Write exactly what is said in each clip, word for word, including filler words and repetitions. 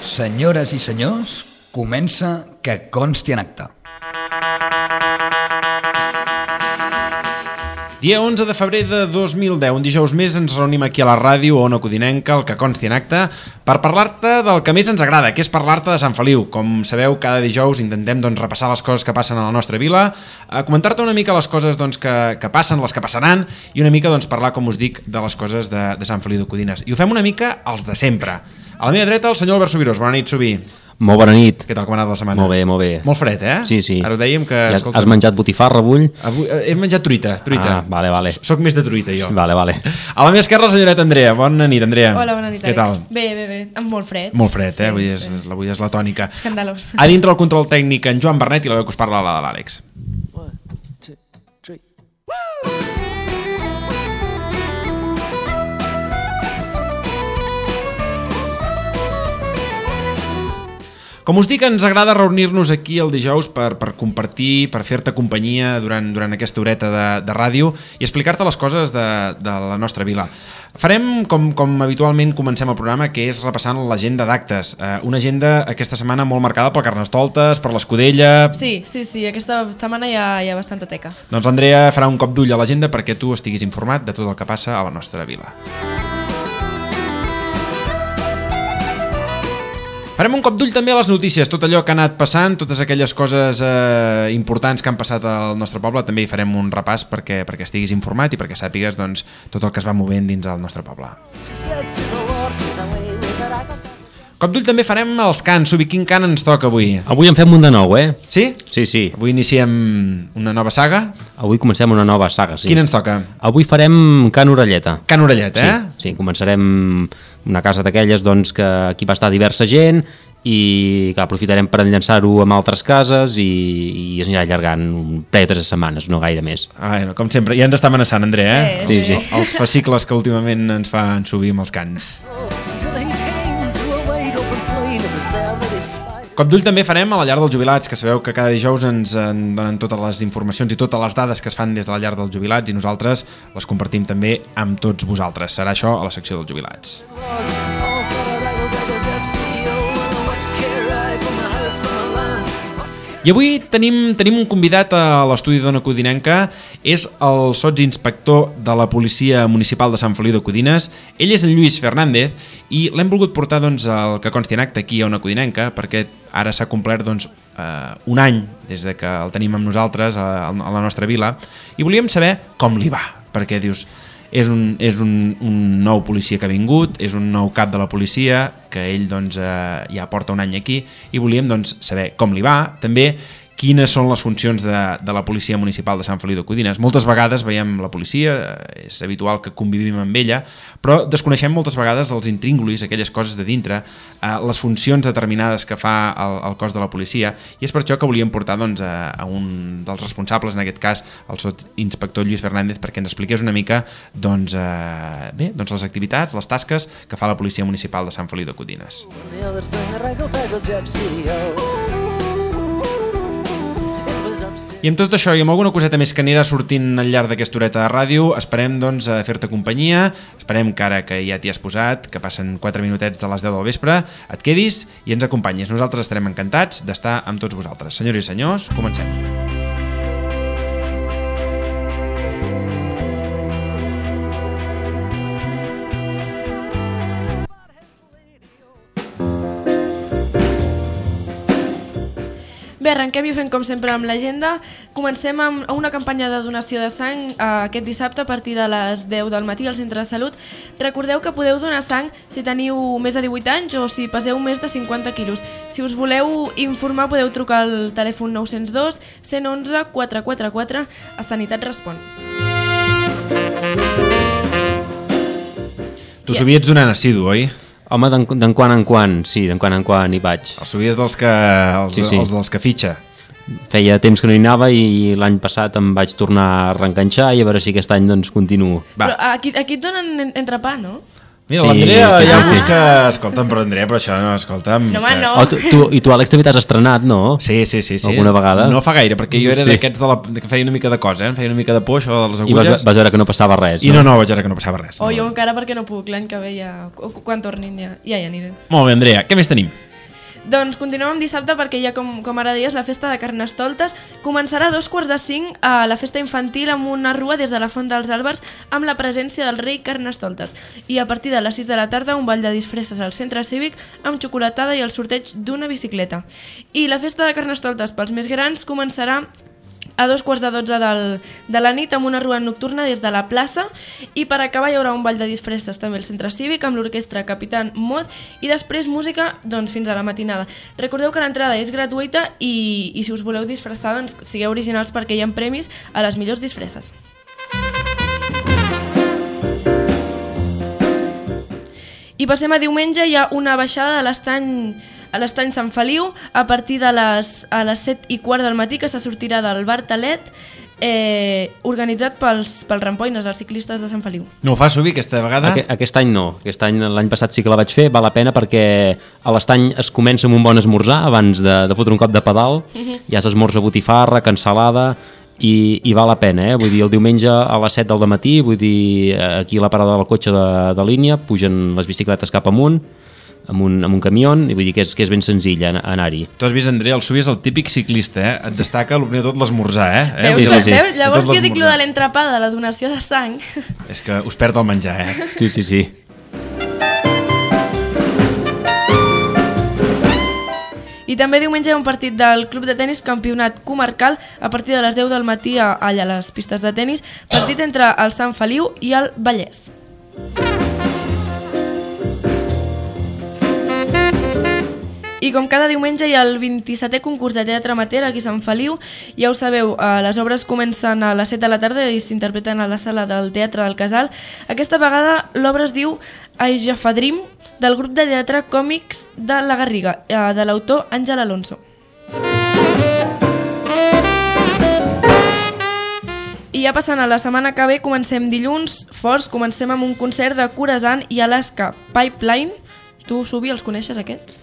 Senyores i senyors, comença Que consti en acta. Dia onze de febrer de dos mil deu, un dijous més, ens reunim aquí a la ràdio Ona Codinenca, el Que consti en acta, per parlar-te del que més ens agrada, que és parlar-te de Sant Feliu. Com sabeu, cada dijous intentem doncs, repassar les coses que passen a la nostra vila, a comentar-te una mica les coses doncs, que, que passen, les que passaran, i una mica doncs, parlar, com us dic, de les coses de, de Sant Feliu de Codines. I ho fem una mica els de sempre. A la meva dreta, el senyor Albert Subirós. Bona nit, Subí. Molt bona nit. Què tal, com ha anat la setmana? Molt bé, molt bé. Molt fred, eh? Sí, sí. Ara us dèiem que... Ja, escolta, has menjat botifarra avui? Avui, he menjat truita, truita. Ah, vale, vale. Soc més de truita, jo. Vale, vale. A la meva esquerra, la senyoreta Andrea. Bona nit, Andrea. Hola, bona nit, Què Àlex. tal? Bé, bé, bé. Amb molt fred. Molt fred, eh? Sí, Avui és, sí. avui és la tònica. Escandalós. A dintre el control tècnic en Joan Bernet i la veu que us parla, la de l'Àlex. One, two, three. Com us dic, ens agrada reunir-nos aquí el dijous per, per compartir, per fer-te companyia durant, durant aquesta horeta de, de ràdio i explicar-te les coses de, de la nostra vila. Farem, com, com habitualment comencem el programa, que és repassant l'agenda d'actes. Eh, una agenda aquesta setmana molt marcada pel Carnestoltes, per l'Escudella... Sí, sí, sí, aquesta setmana hi ha, hi ha bastanta teca. Doncs l'Andrea farà un cop d'ull a l'agenda perquè tu estiguis informat de tot el que passa a la nostra vila. Farem un cop d'ull també a les notícies, tot allò que ha anat passant, totes aquelles coses eh, importants que han passat al nostre poble, també hi farem un repàs perquè, perquè estiguis informat i perquè sàpigues doncs, tot el que es va movent dins del nostre poble. Cop d'ull també farem els cants. Subi, quin cant ens toca avui? Avui en fem un de nou, eh? Sí? Sí, sí. Avui iniciem una nova saga. Avui comencem una nova saga, sí. Quin ens toca? Avui farem Can Orelleta. Can Orelleta, eh? Sí, sí, començarem una casa d'aquelles doncs, que aquí va estar diversa gent i que aprofitarem per enllaçar-ho amb altres cases i, i es anirà allargant un parell o tres setmanes, no gaire més. Ah, bueno, com sempre, ja ens està amenaçant, Andrea, eh? Sí, sí. Els, els fascicles que últimament ens fan subir amb els cants. Cop d'ull també farem a la llar dels jubilats, que sabeu que cada dijous ens en donen totes les informacions i totes les dades que es fan des de la llar dels jubilats i nosaltres les compartim també amb tots vosaltres. Serà això a la secció dels jubilats. I avui tenim, tenim un convidat a l'estudi d'Ona Codinenca, és el sotsinspector de la Policia Municipal de Sant Feliu de Codines. Ell és en Lluís Fernández i l'hem volgut portar doncs, al Que consti en acte aquí a Ona Codinenca perquè ara s'ha complert doncs, eh, un any des de que el tenim amb nosaltres a, a la nostra vila i volíem saber com li va, perquè dius... És, un, és un, un nou policia que ha vingut, és un nou cap de la policia que ell doncs, eh, ja porta un any aquí i volíem doncs, saber com li va, també quines són les funcions de, de la Policia Municipal de Sant Feliu de Codines. Moltes vegades veiem la policia, és habitual que convivim amb ella, però desconeixem moltes vegades els intríngulis, aquelles coses de dintre, eh, les funcions determinades que fa el, el cos de la policia, i és per això que volíem portar doncs, a, a un dels responsables, en aquest cas el sotsinspector Lluís Fernández, perquè ens expliqués una mica doncs, eh, bé, doncs les activitats, les tasques que fa la Policia Municipal de Sant Feliu de Codines. I amb tot això i amb alguna coseta més que anirà sortint al llarg d'aquesta horeta de ràdio, esperem doncs a fer-te companyia, esperem que ara que ja t'hi has posat, que passen quatre minutets de les deu del vespre, et quedis i ens acompanyis. Nosaltres estarem encantats d'estar amb tots vosaltres. Senyors i senyors, comencem. Bé, arrenquem i ho fem com sempre amb l'agenda. Comencem amb una campanya de donació de sang eh, aquest dissabte a partir de les deu del matí al Centre de Salut. Recordeu que podeu donar sang si teniu més de divuit anys o si peseu més de cinquanta quilos. Si us voleu informar podeu trucar al telèfon nou zero dos, cent onze, quatre quatre quatre a Sanitat Respon. Tu yeah. Soviets donant assidu, oi? Home, d'en quan en quan, sí, d'en quan en quan hi vaig. Els soviets dels que, els, sí, sí. els dels que fitxa. Feia temps que no hi anava i l'any passat em vaig tornar a reenganxar i a veure si aquest any doncs continuo. Va. Però aquí, aquí et donen entrepà, no? Mira, sí, l'Andrea sí, ja sí. busca... Escolta'm, però Andrea, però això no, escolta'm... No, home, no. Oh, tu, tu, I tu, Àlex, també t'has estrenat, no? Sí, sí, sí, sí. Alguna vegada? No fa gaire, perquè jo era Sí. d'aquests de la... que feia una mica de cosa, eh? Em feia una mica de por, això de les I vas, agulles. vas veure que no passava res, I no, no, vaig veure que no passava res. O no. jo encara perquè no puc, l'any que ve ja... Quan tornin ja, ja hi aniré. Molt bé, Andrea, què més tenim? Doncs continuem amb dissabte perquè ja, com, com ara deies, la festa de Carnestoltes començarà a dos quarts de cinc a la festa infantil amb una rua des de la Font dels Àlbers amb la presència del rei Carnestoltes. I a partir de les sis de la tarda un ball de disfresses al centre cívic amb xocolatada i el sorteig d'una bicicleta. I la festa de Carnestoltes pels més grans començarà a dos quarts de dotze del, de la nit amb una rua nocturna des de la plaça i per acabar hi haurà un ball de disfresses també al centre cívic amb l'orquestra Capitán Mod i després música doncs, fins a la matinada. Recordeu que l'entrada és gratuïta i, i si us voleu disfressar doncs, sigueu originals perquè hi ha premis a les millors disfresses. I passem a diumenge, hi ha una baixada de l'estany a l'estany Sant Feliu a partir de les, a les set i quart del matí que se sortirà del bar Talet eh, organitzat pels, pels rampoines, els ciclistes de Sant Feliu. No ho fa, Subi, aquesta vegada? Aquest, aquest any no, aquest any l'any passat sí que la vaig fer, val la pena perquè a l'estany es comença amb un bon esmorzar abans de, de fotre un cop de pedal, uh-huh. Ja s'esmorza botifarra, cansalada i, i val la pena, eh? Vull dir, el diumenge a les set del matí, vull dir, aquí a la parada del cotxe de, de línia, pugen les bicicletes cap amunt, amb un, amb un camió, i vull dir que és, que és ben senzill anar-hi. Tu has vist, Andrea, el Subi és el típic ciclista, eh? Et destaca el primer de tot l'esmorzar, eh? Veus, sí, sí, sí. Veus? Llavors jo dic lo de l'entrepà, de la donació de sang. És que us perd el menjar, eh? Sí, sí, sí. I també diumenge hi ha un partit del Club de Tenis Campionat Comarcal a partir de les deu del matí a, allà a les pistes de tenis, partit entre el Sant Feliu i el Vallès. I com cada diumenge hi ha el vint-i-setè concurs de teatre amateur aquí a Sant Feliu. Ja ho sabeu, les obres comencen a les set de la tarda i s'interpreten a la sala del Teatre del Casal. Aquesta vegada l'obra es diu Aijafadrim, del grup de teatre Còmics de la Garriga, de l'autor Àngel Alonso. I ja passant a la setmana que ve, comencem dilluns forts, comencem amb un concert de Khorasan i Alaska Pipeline. Tu, Subi, els coneixes aquests?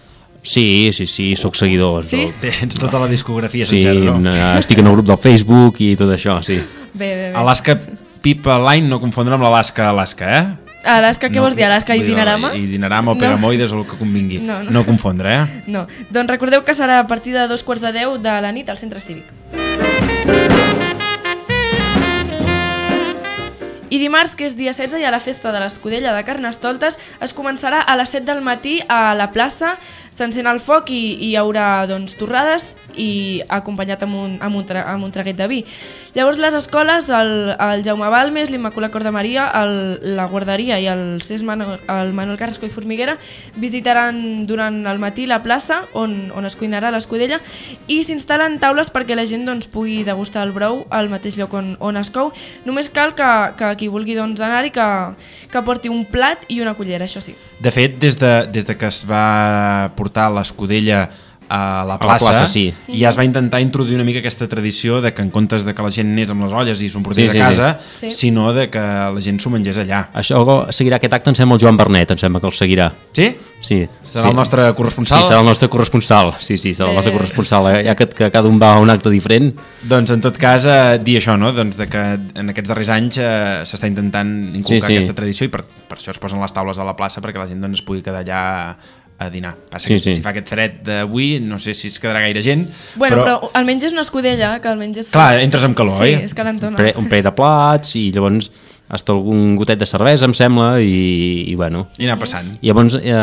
Sí, sí, sí, sóc seguidor. Sí? Tens tota la discografia sí, sencera, no? Estic en el grup del Facebook i tot això, sí. Bé, bé, bé. Alaska Pipeline, no confondre amb l'Alaska Alaska, eh? Alaska, què no, vols dir? Alaska i Dinarama? I Dinarama o Peramoides o el que convingui. No, no. No confondre, eh? No. Doncs recordeu que serà a partir de dos quarts de deu de la nit al centre cívic. I dimarts, que és dia setze, hi ha la festa de l'Escudella de Carnestoltes. Es començarà a les set del matí a la plaça, s'encén el foc i, i hi haurà doncs, torrades i acompanyat amb un, amb, un tra, amb un traguet de vi. Llavors les escoles, el, el Jaume Balmes, l'Immaculat Cor de Maria, el, la guarderia i el C E S Manuel, el Manuel Carrasco i Formiguera visitaran durant el matí la plaça on, on es cuinarà l'escudella i s'instal·len taules perquè la gent doncs, pugui degustar el brou al mateix lloc on, on es cou. Només cal que, que qui vulgui doncs, anar-hi que, que porti un plat i una cullera, això sí. De fet, des de, des de que es va portar l'escudella a la plaça, a la plaça sí. Ja es va intentar introduir una mica aquesta tradició de que en comptes de que la gent anés amb les olles i s'ho portés sí, sí, a casa, sí. Sí. sinó de que la gent s'ho mengés allà. Això seguirà aquest acte, em sembla el Joan Bernet, em sembla que el seguirà. Sí? Sí. Serà sí. el nostre corresponsal? Sí, serà el nostre corresponsal, sí, sí, serà Bé. el nostre corresponsal, eh? Ja que, que cada un va a un acte diferent. Doncs en tot cas, eh, dir això, no? Doncs de que en aquests darrers anys eh, s'està intentant inculcar Sí, sí. aquesta tradició i per, per això es posen les taules a la plaça perquè la gent doncs, es pugui quedar allà a dinar. Passa Sí, que sí. si fa aquest fred d'avui, no sé si es quedarà gaire gent, Bueno, però, però... però almenys és una escudella, que almenys és... Clar, entres amb calor, sí, oi? és calentona. Pre, un parell de plats i llavors hasta algun gotet de cervesa, em sembla, i, i bueno... I anar passant. I llavors eh,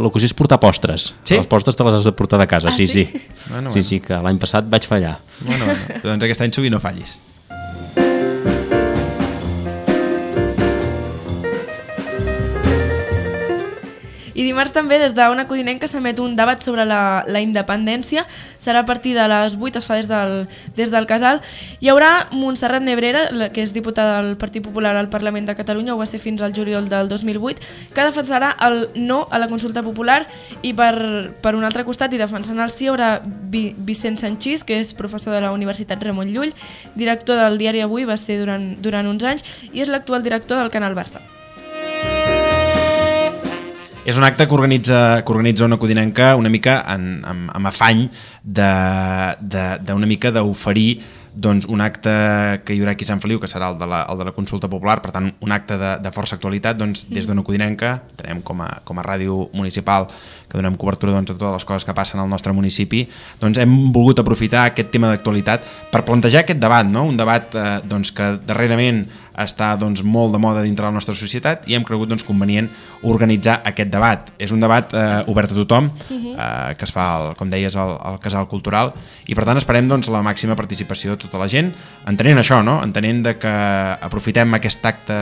l'ocasió és portar postres. Sí? Les postres te les has de portar de casa, Ah, sí, sí? sí. Bueno, sí, bueno. sí, que l'any passat vaig fallar. Bueno, bueno, doncs aquest any Subi no fallis. I dimarts també des d'Ona Codinenca s'emet un debat sobre la, la independència. Serà a partir de les vuit, es fa des del, des del Casal. Hi haurà Montserrat Nebrera, la, que és diputada del Partit Popular al Parlament de Catalunya, ho va ser fins al juliol del dos mil vuit, que defensarà el no a la consulta popular i per, per un altre costat i defensant el sí hi haurà Vi, Vicent Sanchís, que és professor de la Universitat Ramon Llull, director del diari Avui, va ser durant, durant uns anys i és l'actual director del Canal Barça. És un acte que organitza, que organitza Ona Codinenca una mica en, amb, amb afany d'una mica d'oferir doncs, un acte que hi haurà aquí a Sant Feliu, que serà el de la, el de la consulta popular, per tant, un acte de, de força actualitat, doncs, des d'Ona Codinenca, tenem com a, com a ràdio municipal, que donem cobertura doncs, a totes les coses que passen al nostre municipi, doncs hem volgut aprofitar aquest tema d'actualitat per plantejar aquest debat, no? Un debat eh, doncs, que darrerament està doncs, molt de moda dintre la nostra societat i hem cregut doncs, convenient organitzar aquest debat. És un debat eh, obert a tothom, eh, que es fa, el, com deies, al, al Casal Cultural, i per tant esperem doncs, la màxima participació de tota la gent, entenent això, no? Entenent de que aprofitem aquest acte,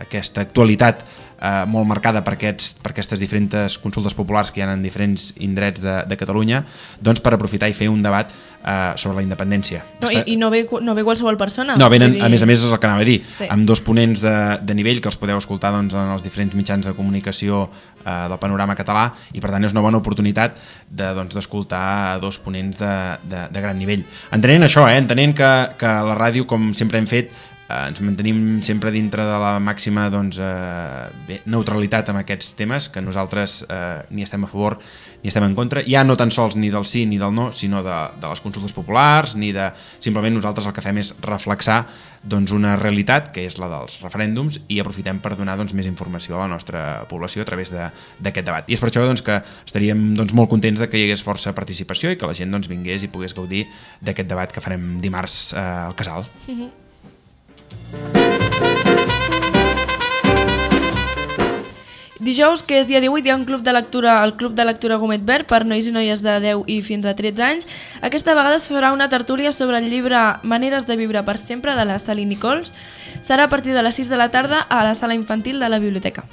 aquesta actualitat eh, molt marcada per, aquests, per aquestes diferents consultes populars que hi ha en diferents indrets de, de Catalunya, doncs per aprofitar i fer un debat eh, sobre la independència. No, i, I no ve, no ve qualsevol persona. No, venen, dir... a més a més és el que anava a dir, sí. amb dos ponents de, de nivell que els podeu escoltar doncs, en els diferents mitjans de comunicació eh, del panorama català, i per tant és una bona oportunitat de, doncs, d'escoltar dos ponents de, de, de gran nivell. Entenent això, eh, entenent que, que la ràdio, com sempre hem fet, eh, ens mantenim sempre dintre de la màxima doncs, eh, bé, neutralitat amb aquests temes, que nosaltres eh, ni estem a favor ni estem en contra, ja no tan sols ni del sí ni del no, sinó de, de les consultes populars, ni de... Simplement nosaltres el que fem és reflexar doncs, una realitat, que és la dels referèndums, i aprofitem per donar doncs, més informació a la nostra població a través d'aquest debat. I és per això doncs, que estaríem doncs, molt contents de que hi hagués força participació i que la gent doncs, vingués i pogués gaudir d'aquest debat que farem dimarts eh, al Casal. Mm-hmm. Dijous, que és dia divuit, hi ha un club de lectura, el Club de Lectura Gomet Verd, per nois i noies de deu i fins a tretze anys. Aquesta vegada es farà una tertúlia sobre el llibre Maneres de viure per sempre, de la Sally Nichols. Serà a partir de les sis de la tarda a la sala infantil de la biblioteca.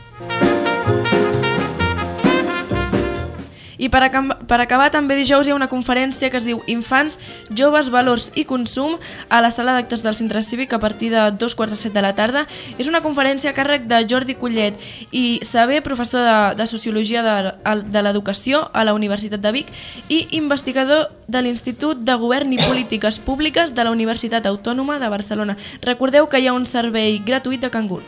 I per, per acabar, també dijous hi ha una conferència que es diu Infants, Joves, Valors i Consum a la sala d'actes del Centre Cívic a partir de dos quarts de set de la tarda. És una conferència a càrrec de Jordi Collet i Saber, professor de, de Sociologia de, de l'Educació a la Universitat de Vic i investigador de l'Institut de Govern i Polítiques Públiques de la Universitat Autònoma de Barcelona. Recordeu que hi ha un servei gratuït de cangur.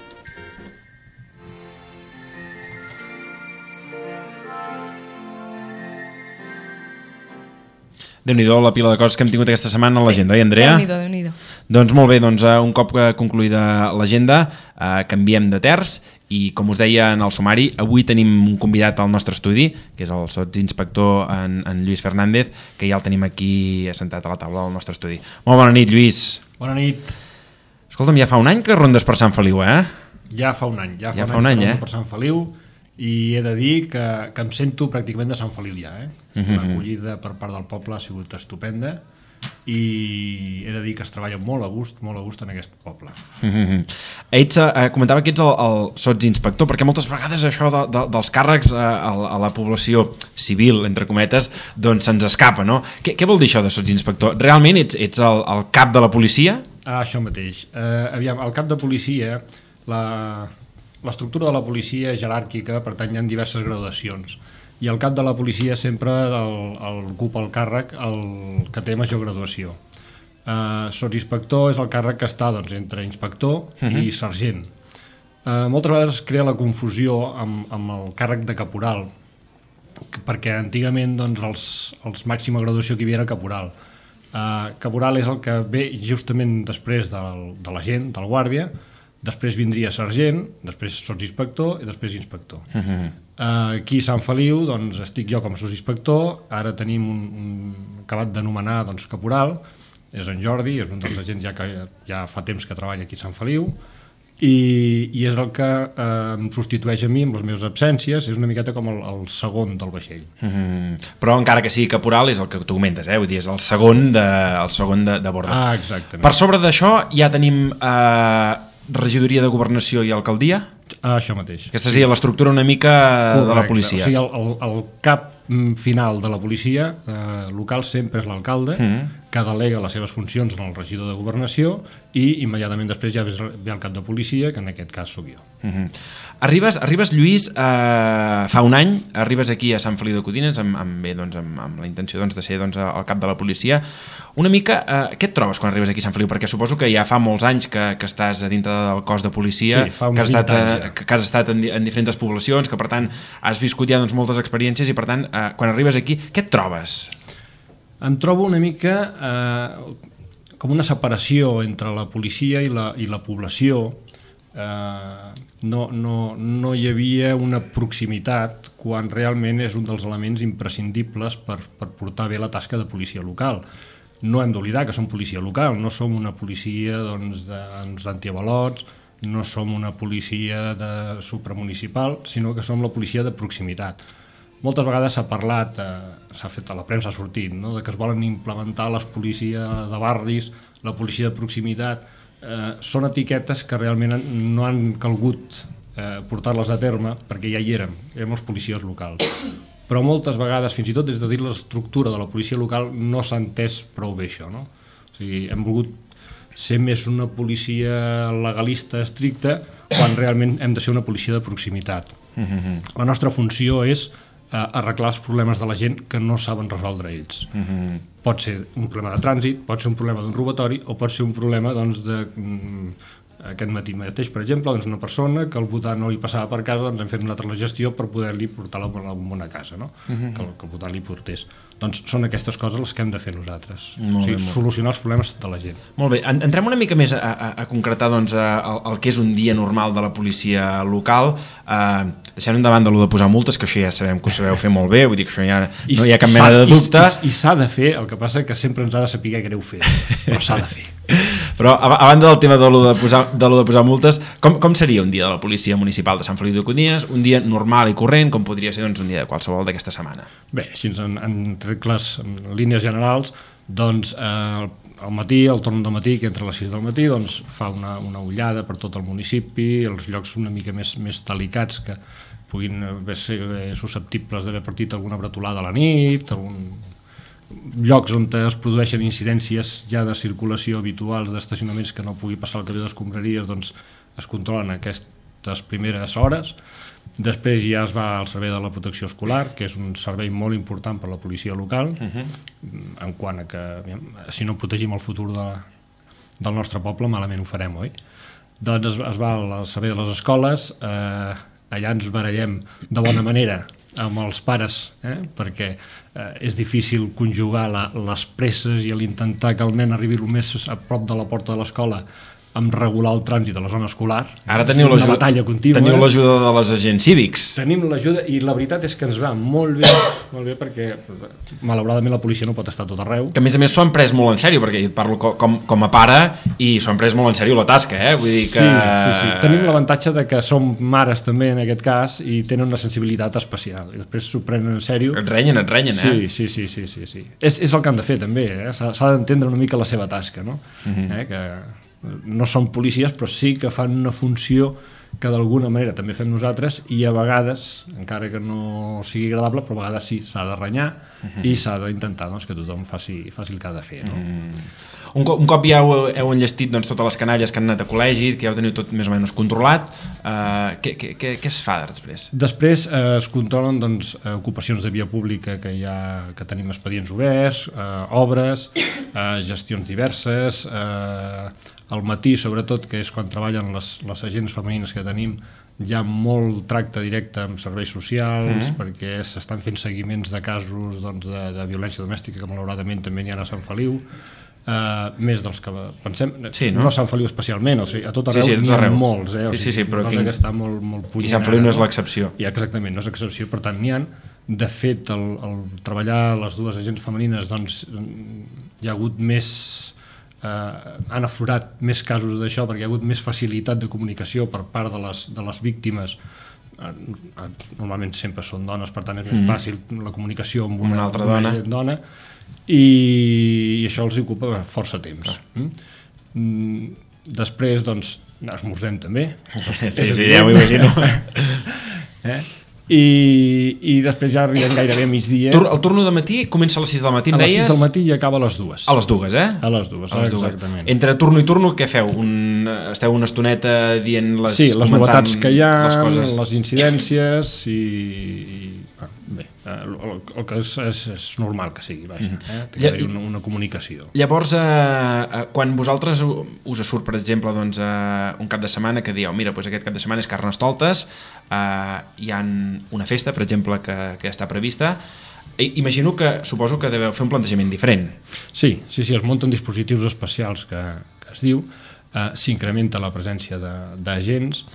Déu-n'hi-do la pila de coses que hem tingut aquesta setmana a l'agenda, sí. oi, Andrea? Déu-n'hi-do, Déu-n'hi-do. Doncs molt bé, doncs, un cop concluïda l'agenda, eh, canviem de terç i, com us deia en el sumari, avui tenim un convidat al nostre estudi, que és el sotsinspector en, en Lluís Fernández, que ja el tenim aquí assentat a la taula del nostre estudi. Molt bona nit, Lluís. Bona nit. Escolta'm, ja fa un any que rondes per Sant Feliu, eh? Ja fa un any, ja fa, ja un, fa un any, any eh? per Sant Feliu, i he de dir que, que em sento pràcticament de Sant Feliu ja, eh? Uh-huh. L'acollida per part del poble ha sigut estupenda i he de dir que es treballa molt a gust, molt a gust en aquest poble. Uh-huh. Ets, eh, comentava que ets el, el sotsinspector, perquè moltes vegades això de, de, dels càrrecs eh, a, a la població civil, entre cometes, doncs se'ns escapa, no? Què, què vol dir això de sotsinspector? Realment ets, ets el, el cap de la policia? Ah, això mateix. Eh, aviam, el cap de policia, la... L'estructura de la policia és jeràrquica, per tant hi ha diverses graduacions. I el cap de la policia sempre el, el ocupa el càrrec el que té major graduació. Uh, Sotsinspector és el càrrec que està doncs, entre inspector uh-huh. i sergent. Uh, moltes vegades es crea la confusió amb, amb el càrrec de caporal, perquè antigament doncs, els, els màxima graduació que hi havia era caporal. Uh, caporal és el que ve justament després del, de l'agent, del guàrdia. Després vindria sergent, després sotsinspector i després inspector. Uh-huh. Uh, aquí a Sant Feliu doncs, estic jo com a sotsinspector, ara tenim un, un acabat d'anomenar doncs, caporal, és en Jordi, és un dels agents ja que ja fa temps que treballa aquí a Sant Feliu, i, i és el que eh, em substitueix a mi amb les meves absències, és una miqueta com el, el segon del vaixell. Mm-hmm. Però encara que sigui caporal és el que tu comentes, eh? Vull dir, és el segon de, el segon de, de borda. Ah, exactament. Per sobre d'això ja tenim eh, regidoria de governació i alcaldia? Ah, això mateix. Aquesta seria sí. l'estructura una mica correcte. De la policia. O sigui, el, el, el cap final de la policia eh, local sempre és l'alcalde, mm. que delega les seves funcions en el regidor de governació i immediatament després ja ve el cap de policia, que en aquest cas sóc jo. Mm-hmm. Arribes, arribes, Lluís, eh, fa un any, arribes aquí a Sant Feliu de Codines amb, amb, bé, doncs, amb, amb la intenció doncs, de ser doncs, el cap de la policia. Una mica, eh, què et trobes quan arribes aquí a Sant Feliu? Perquè suposo que ja fa molts anys que, que estàs a dintre del cos de policia, sí, fa uns que has estat, anys, ja. que, que has estat en, en diferents poblacions, que per tant has viscut ja doncs, moltes experiències i per tant, eh, quan arribes aquí, què et trobes? Em trobo una mica... Eh, com una separació entre la policia i la, i la població. Eh, no, no, no hi havia una proximitat quan realment és un dels elements imprescindibles per, per portar bé la tasca de policia local. No hem d'oblidar que som policia local, no som una policia doncs, d'antiavalots, no som una policia de supramunicipal, sinó que som la policia de proximitat. Moltes vegades s'ha parlat, eh, s'ha fet a la premsa, ha sortit, no? De que es volen implementar les policies de barris, la policia de proximitat. Eh, són etiquetes que realment no han calgut eh, portar-les a terme perquè ja hi érem, érem els policies locals. Però moltes vegades, fins i tot des de dir l'estructura de la policia local, no s'ha entès prou bé això, no? O sigui, hem volgut ser més una policia legalista estricta quan realment hem de ser una policia de proximitat. Mm-hmm. La nostra funció és eh, arreglar els problemes de la gent que no saben resoldre ells. Mm-hmm. Pot ser un problema de trànsit, pot ser un problema d'un robatori o pot ser un problema doncs, de... Mm, aquest matí mateix, per exemple, doncs una persona que el votant no li passava per casa, doncs hem fet nosaltres la gestió per poder-li portar la bombona a casa, no? Uh-huh. que, que el votant li portés. Doncs són aquestes coses les que hem de fer nosaltres. Molt o sigui, bé, solucionar els problemes de la gent. Molt bé, entrem una mica més a, a, a concretar doncs, a, a, el que és un dia normal de la policia local. Uh, deixem endavant de lo de posar multes, que això ja sabem que ho sabeu fer molt bé, vull dir que això ja no hi ha cap mena de dubte. I, i, i s'ha de fer, el que passa que sempre ens ha de saber greu fer, però s'ha de fer. Però a, a banda del tema de lo de posar, de lo de posar multes, com, com seria un dia de la policia municipal de Sant Feliu de Codines? Un dia normal i corrent, com podria ser doncs, un dia de qualsevol d'aquesta setmana? Bé, així en, en regles, en línies generals, doncs eh, al matí, al torn del matí, que entre les sis del matí, doncs fa una, una ullada per tot el municipi, els llocs una mica més, més delicats que puguin ser susceptibles d'haver partit alguna bretolada a la nit, algun... llocs on es produeixen incidències ja de circulació habituals d'estacionaments que no pugui passar el camió d'escombraries, doncs es controlen aquestes primeres hores. Després ja es va al servei de la protecció escolar, que és un servei molt important per a la policia local, uh-huh. en quant a que si no protegim el futur de, del nostre poble malament ho farem, oi? Doncs es, es va al servei de les escoles, eh, allà ens barallem de bona manera amb els pares, eh? perquè eh, és difícil conjugar la, les presses i l'intentar que el nen arribi el més a prop de la porta de l'escola amb regular el trànsit a la zona escolar. Ara teniu una batalla contínua. Teniu l'ajuda de les agents cívics. Tenim l'ajuda i la veritat és que ens va molt bé, molt bé perquè malauradament la policia no pot estar tot arreu. Que a més a més s'ho han pres molt en sèrio, perquè et parlo com, com a pare i s'ho han pres molt en sèrio la tasca, eh? Vull dir que... Sí, sí, sí. Tenim l'avantatge de que som mares també en aquest cas i tenen una sensibilitat especial i després s'ho prenen en sèrio. Et renyen, et renyen, eh? Sí, sí, sí, sí, sí, sí. És, és el que han de fer també, eh? S'ha d'entendre una mica la seva tasca, no? Uh-huh. eh? Que no són policies, però sí que fan una funció que d'alguna manera també fem nosaltres i a vegades, encara que no sigui agradable, però a vegades sí, s'ha de renyar uh-huh. i s'ha d'intentar doncs, que tothom faci, faci el que ha de fer. No? Mm. Un, cop, un cop ja heu, heu enllestit doncs, totes les canalles que han anat a col·legi, que ja ho teniu tot més o menys controlat, eh, què, què, què, què es fa després? Després eh, es controlen doncs, ocupacions de via pública que, hi ha, que tenim expedients oberts, eh, obres, eh, gestions diverses, eh, al matí sobretot, que és quan treballen les, les agents femenines que tenim, hi ha molt tracte directe amb serveis socials, mm. perquè s'estan fent seguiments de casos doncs, de, de violència domèstica que malauradament també n'hi ha a Sant Feliu, Uh, més dels que pensem, sí, no? no a Sant Feliu especialment, o sigui, a tot arreu sí, sí, n'hi ha molts, eh? O sí, sigui, sí, sí, però cosa quin... que està molt, molt punyent. I Sant Feliu no és l'excepció. I exactament, no és excepció, per tant n'hi ha. De fet, el, el treballar les dues agents femenines, doncs hi ha hagut més, eh, han aflorat més casos d'això, perquè hi ha hagut més facilitat de comunicació per part de les, de les víctimes. Normalment sempre són dones, per tant és més mm. fàcil la comunicació amb una, una altra una dona. dona. I, i això els ocupa força temps. Mm. Després, doncs, esmorzem també. Sí, sí, ja m'ho imagino. eh? I, I després ja arribem gairebé a migdia. Tur el turno de matí comença a les sis del matí, em deies? A les sis del matí i acaba a les dues. A les dues, eh? A les dues, a les exactament. Dues. Entre turno i turno, què feu? Un, esteu una estoneta dient les... Sí, les novetats que hi ha, les, coses... les incidències i... i bé, el, el que és, és, és normal que sigui, vaja, eh? Té que haver-hi una, una comunicació. Llavors, eh, quan vosaltres us surt, per exemple, doncs, eh, un cap de setmana que dieu, mira, doncs aquest cap de setmana és Carnestoltes, eh, hi ha una festa, per exemple, que, que està prevista, Imagino que, suposo que deveu fer un plantejament diferent. Sí, sí, sí, es munten dispositius especials que, que es diu, eh, s'incrementa la presència d'agents,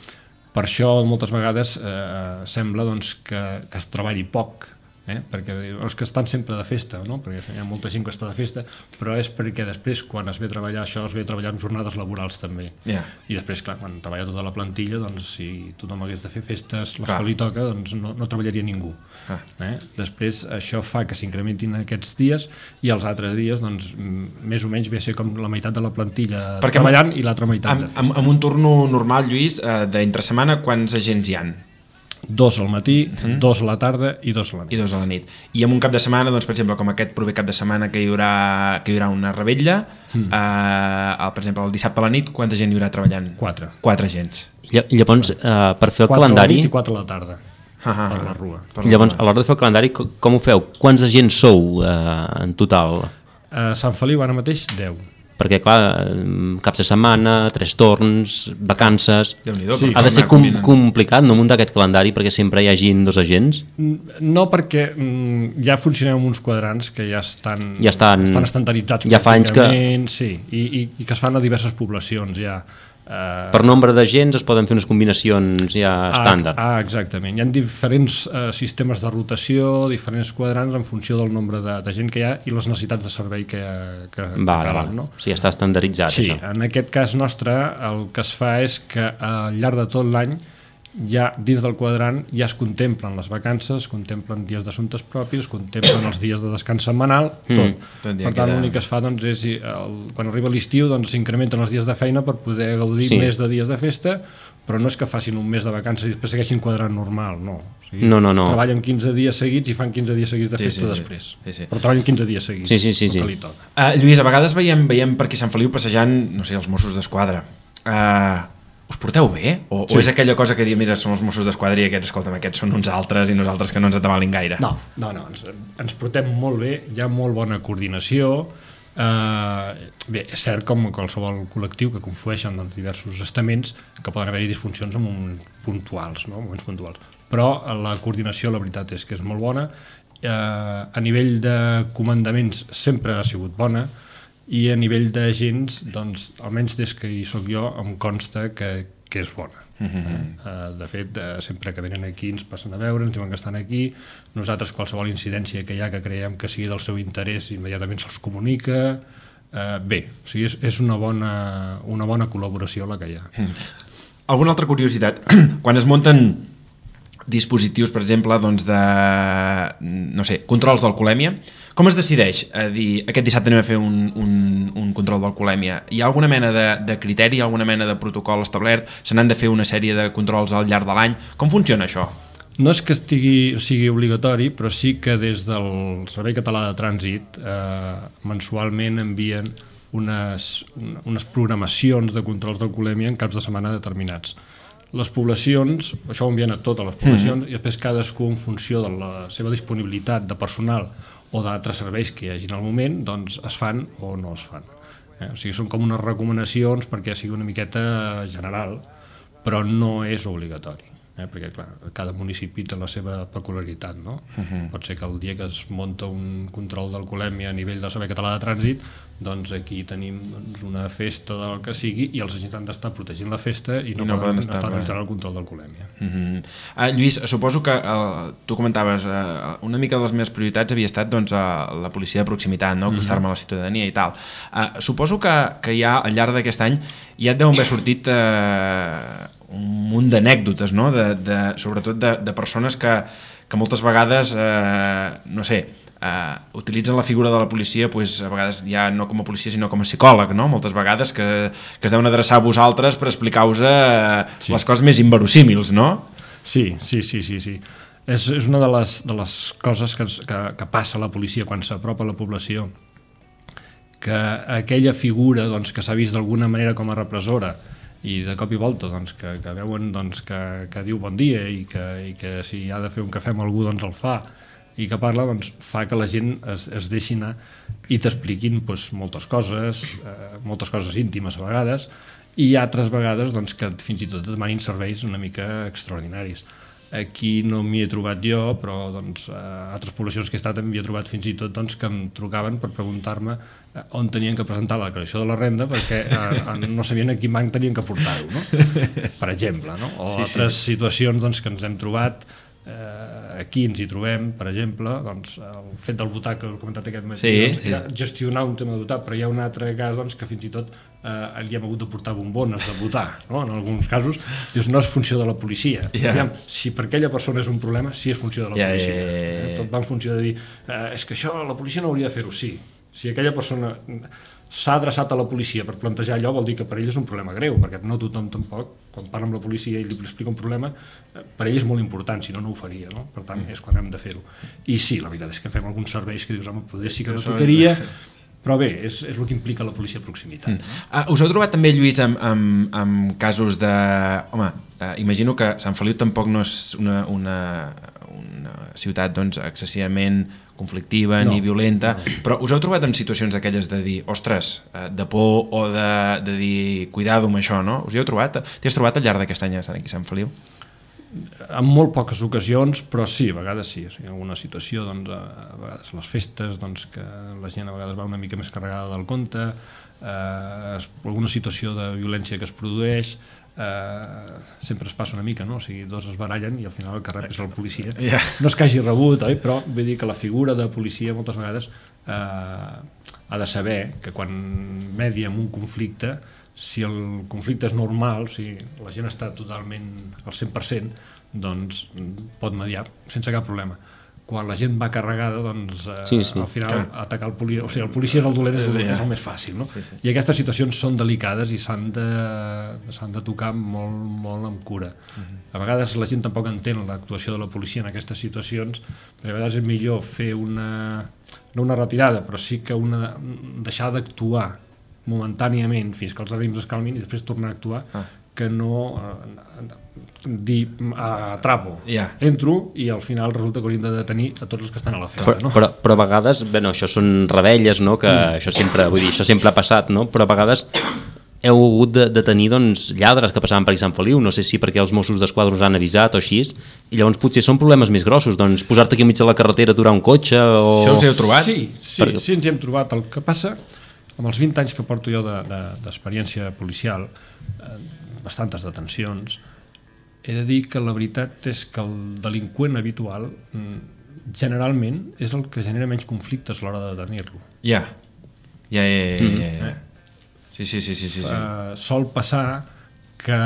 per això moltes vegades eh, sembla doncs, que, que es treballi poc, eh? perquè els que estan sempre de festa, no? perquè hi ha molta gent que està de festa, però és perquè després quan es ve a treballar això es ve a treballar en jornades laborals també, yeah. i després clar, quan treballa tota la plantilla, doncs si tothom hagués de fer festes, les que li toca, doncs no, no treballaria ningú. Ah. Eh? Després això fa que s'incrementin aquests dies i els altres dies doncs més o menys ve a ser com la meitat de la plantilla perquè treballant amb, i l'altra meitat amb, de festa. Amb, amb un turno normal, Lluís, eh, d'entre setmana, quants agents hi han? Dos al matí, mm. dos a la tarda i dos a la nit. I dos a la nit. I en un cap de setmana, doncs, per exemple, com aquest proper cap de setmana que hi haurà, que hi haurà una revetlla, mm. eh, per exemple, el dissabte a la nit, quanta gent hi haurà treballant? Quatre. Quatre agents. I llavors, eh, per fer el quatre calendari... Quatre a la nit i quatre a la tarda, ah, ah, per la rua. Per la llavors, a l'hora de fer el calendari, com ho feu? Quants agents sou eh, en total? A Sant Feliu ara mateix, deu. Perquè, clar, caps de setmana, tres torns, vacances... Sí, ha de ser com, complicat no muntar aquest calendari perquè sempre hi hagin dos agents? No, perquè mm, ja funcionem amb uns quadrants que ja estan, ja estan, estan estandarditzats ja fa anys que... sí, i, i, i que es fan a diverses poblacions ja. Uh... Per nombre d'agents es poden fer unes combinacions ja estàndard. Ah, ah exactament. Hi ha diferents uh, sistemes de rotació, diferents quadrants en funció del nombre de, de gent que hi ha i les necessitats de servei que, que, va, que cal. No? O sigui, està estandarditzat, sí, això. Sí, en aquest cas nostre el que es fa és que al llarg de tot l'any ja dins del quadrant ja es contemplen les vacances, es contemplen dies d'assumptes propis, es contemplen els dies de descans setmanal, tot. Mm, tot per tant, l'únic que es fa doncs, és, el, quan arriba l'estiu doncs, s'incrementen els dies de feina per poder gaudir sí. més de dies de festa, però no és que facin un mes de vacances i després segueixin quadrant normal, no. O sigui, no, no, no. treballen quinze dies seguits i fan quinze dies seguits de festa sí, sí, després. Sí, sí. Però treballen quinze dies seguits, sí, sí, sí, sí. el que li toca. Uh, Lluís, a vegades veiem, veiem per aquí Sant Feliu passejant, no sé, els Mossos d'Esquadra. Uh, us porteu bé? O, sí. o és aquella cosa que diu, mira, són els Mossos d'Esquadra i aquests, escolta'm, aquests són uns altres i nosaltres que no ens atabalin gaire? No, no, no, ens, ens portem molt bé, hi ha molt bona coordinació. Uh, bé, és cert com qualsevol col·lectiu que conflueixen doncs, diversos estaments que poden haver-hi disfuncions en moments puntuals, no? moments puntuals. Però la coordinació, la veritat és que és molt bona. Uh, a nivell de comandaments sempre ha sigut bona, i a nivell d'agents, doncs, almenys des que hi soc jo, em consta que, que és bona. Uh-huh. eh, de fet, eh, sempre que venen aquí ens passen a veure, ens diuen que estan aquí, nosaltres qualsevol incidència que hi ha que creiem que sigui del seu interès immediatament se'ls comunica, eh, bé, o sigui, és, és una, bona, una bona col·laboració la que hi ha. Uh-huh. Alguna altra curiositat? Quan es munten dispositius, per exemple, doncs de, no sé, controls d'alcoholèmia, com es decideix a dir aquest dissabte anem a fer un, un, un control d'alcoholèmia? Hi ha alguna mena de, de criteri, alguna mena de protocol establert? Se n'han de fer una sèrie de controls al llarg de l'any? Com funciona això? No és que estigui, sigui obligatori, però sí que des del Servei Català de Trànsit eh, mensualment envien unes, unes programacions de controls d'alcoholèmia en caps de setmana determinats. Les poblacions, això ho envien a totes les poblacions, mm. i després cadascú en funció de la seva disponibilitat de personal o d'altres serveis que hi hagi al moment, doncs es fan o no es fan. Eh? O sigui, són com unes recomanacions perquè sigui una miqueta general, però no és obligatori. Eh? Perquè, clar, cada municipi té la seva peculiaritat, no? Uh-huh. Pot ser que el dia que es munta un control d'alcoholèmia a nivell del Servei Català de Trànsit, doncs aquí tenim doncs, una festa del que sigui i els agents han d'estar protegint la festa i no, I no poden, poden estar, estar realitzant el control d'alcoholèmia. Uh-huh. uh, Lluís, suposo que uh, tu comentaves, uh, una mica de les meves prioritats havia estat doncs, uh, la policia de proximitat, no? Acostar-me uh-huh. a la ciutadania i tal. Uh, suposo que, que ja al llarg d'aquest any ja et deuen haver sortit uh, un munt d'anècdotes, no? de, de, sobretot de, de persones que, que moltes vegades, eh, no sé, eh, utilitzen la figura de la policia pues, a vegades ja no com a policia sinó com a psicòleg, no? Moltes vegades que, que es deuen adreçar a vosaltres per explicar-vos eh, sí. les coses més inverosímils, no? Sí, sí, sí, sí, sí. És, és una de les, de les coses que, que, que passa a la policia quan s'apropa a la població, que aquella figura doncs, que s'ha vist d'alguna manera com a repressora i de cop i volta doncs, que, que veuen doncs, que, que diu bon dia i que, i que si ha de fer un cafè amb algú doncs el fa i que parla, doncs fa que la gent es, es deixi anar i t'expliquin doncs, moltes coses, eh, moltes coses íntimes a vegades i altres vegades doncs, que fins i tot demanin serveis una mica extraordinaris. Aquí no m'hi he trobat jo, però doncs, a altres poblacions que he estat m'hi he trobat fins i tot doncs, que em trucaven per preguntar-me on tenien que presentar la declaració de la renda perquè eh, no sabien a quin banc tenien que portar-ho, no? Per exemple, no? O sí, altres sí. situacions doncs, que ens hem trobat, eh, aquí ens hi trobem, per exemple, doncs, el fet del votar que he comentat aquest matí, sí, doncs, sí. gestionar un tema de votar, però hi ha un altre cas doncs, que fins i tot eh, li hem hagut de portar bombones de votar, no? En alguns casos dius, no és funció de la policia. Yeah. Aviam, si per aquella persona és un problema, sí és funció de la yeah, policia. yeah, yeah, yeah. Eh? Tot va en funció de dir, eh, és que això la policia no hauria de fer-ho, sí. Si aquella persona s'ha adreçat a la policia per plantejar allò, vol dir que per ell és un problema greu, perquè no tothom tampoc, quan parla amb la policia i li explica un problema, per ell és molt important, si no, no ho faria, no? Per tant, és quan hem de fer-ho. I sí, la veritat és que fem alguns serveis que dius, home, poder sí que no tocaria, però bé, és, és el que implica la policia de proximitat. Mm. Uh, us heu trobat també, Lluís, amb, amb, amb casos de... Home, uh, imagino que Sant Feliu tampoc no és una, una, una ciutat doncs, excessivament conflictiva no, ni violenta, no. Però us heu trobat en situacions d'aquelles de dir, ostres, de por o de, de dir, cuidado amb això, no? Us hi heu trobat? T'hi has trobat al llarg d'aquest any aquí a Sant Feliu? En molt poques ocasions, però sí, a vegades sí. O sigui, en alguna situació, doncs, a vegades les festes, doncs, que la gent a vegades va una mica més carregada del compte, eh, alguna situació de violència que es produeix, eh, sempre es passa una mica, no? O sigui, dos es barallen i al final el que rep és el policia. Yeah. No és que hagi rebut, oi? Però vull dir que la figura de policia moltes vegades eh, ha de saber que quan media en un conflicte, si el conflicte és normal, si la gent està totalment al cent per cent, doncs pot mediar sense cap problema. Quan la gent va carregada, doncs eh, sí, sí. al final Clar. atacar el policia, o sigui, el policia és el dolent, és el, és el més fàcil, no? Sí, sí. I aquestes situacions són delicades i s'han de, s'han de tocar molt, molt amb cura. Uh-huh. A vegades la gent tampoc entén l'actuació de la policia en aquestes situacions, perquè a vegades és millor fer una, no una retirada, però sí que una, deixar d'actuar momentàniament fins que els ànims es calmin i després tornar a actuar, ah. que no eh, dir atrapo, yeah. entro i al final resulta que hauríem de detenir a tots els que estan a la festa. Però, no? però, però a vegades, bé, no, això són rebelles, no? Que mm. això sempre, vull dir, això sempre ha passat, no? Però a vegades heu hagut de, de tenir doncs, lladres que passaven per aquí a Sant Feliu, no sé si perquè els Mossos d'Esquadra us han avisat o així, i llavors potser són problemes més grossos, doncs posar-te aquí enmig de la carretera, aturar un cotxe o... Això us heu trobat? Sí, sí, perquè... sí ens hi hem trobat. El que passa, amb els vint anys que porto jo d'experiència de, de, policial, eh, bastantes detencions, he de dir que la veritat és que el delinqüent habitual generalment és el que genera menys conflictes a l'hora de detenir-lo. Ja, ja, ja, ja, ja, ja. Sí, sí, sí, sí, sí, sí. Uh, sol passar que,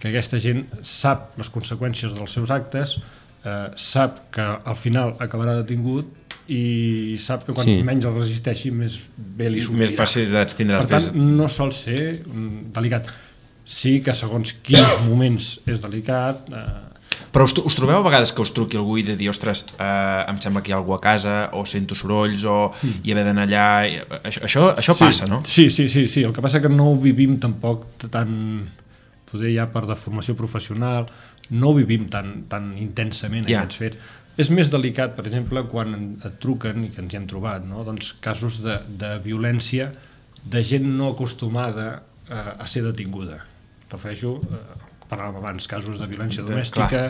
que aquesta gent sap les conseqüències dels seus actes, uh, sap que al final acabarà detingut i sap que quan sí. menys el resisteixi més bé li sortirà. Més facilitats tindrà. Per tant, no sol ser delicat. Sí que segons quins moments és delicat... Eh... Però us, us trobeu a vegades que us truqui algú i de dir, ostres, eh, em sembla que hi ha algú a casa, o sento sorolls, o mm. hi haver d'anar allà... Això, això, això sí, passa, no? Sí, sí, sí, sí. El que passa que no ho vivim tampoc tan... Poder ja per deformació professional, no ho vivim tan, tan intensament yeah. aquests fets. És més delicat, per exemple, quan et truquen, i que ens hi hem trobat, no? Doncs casos de, de violència de gent no acostumada eh, a ser detinguda. Refereixo, eh, parlàvem abans, casos de violència domèstica,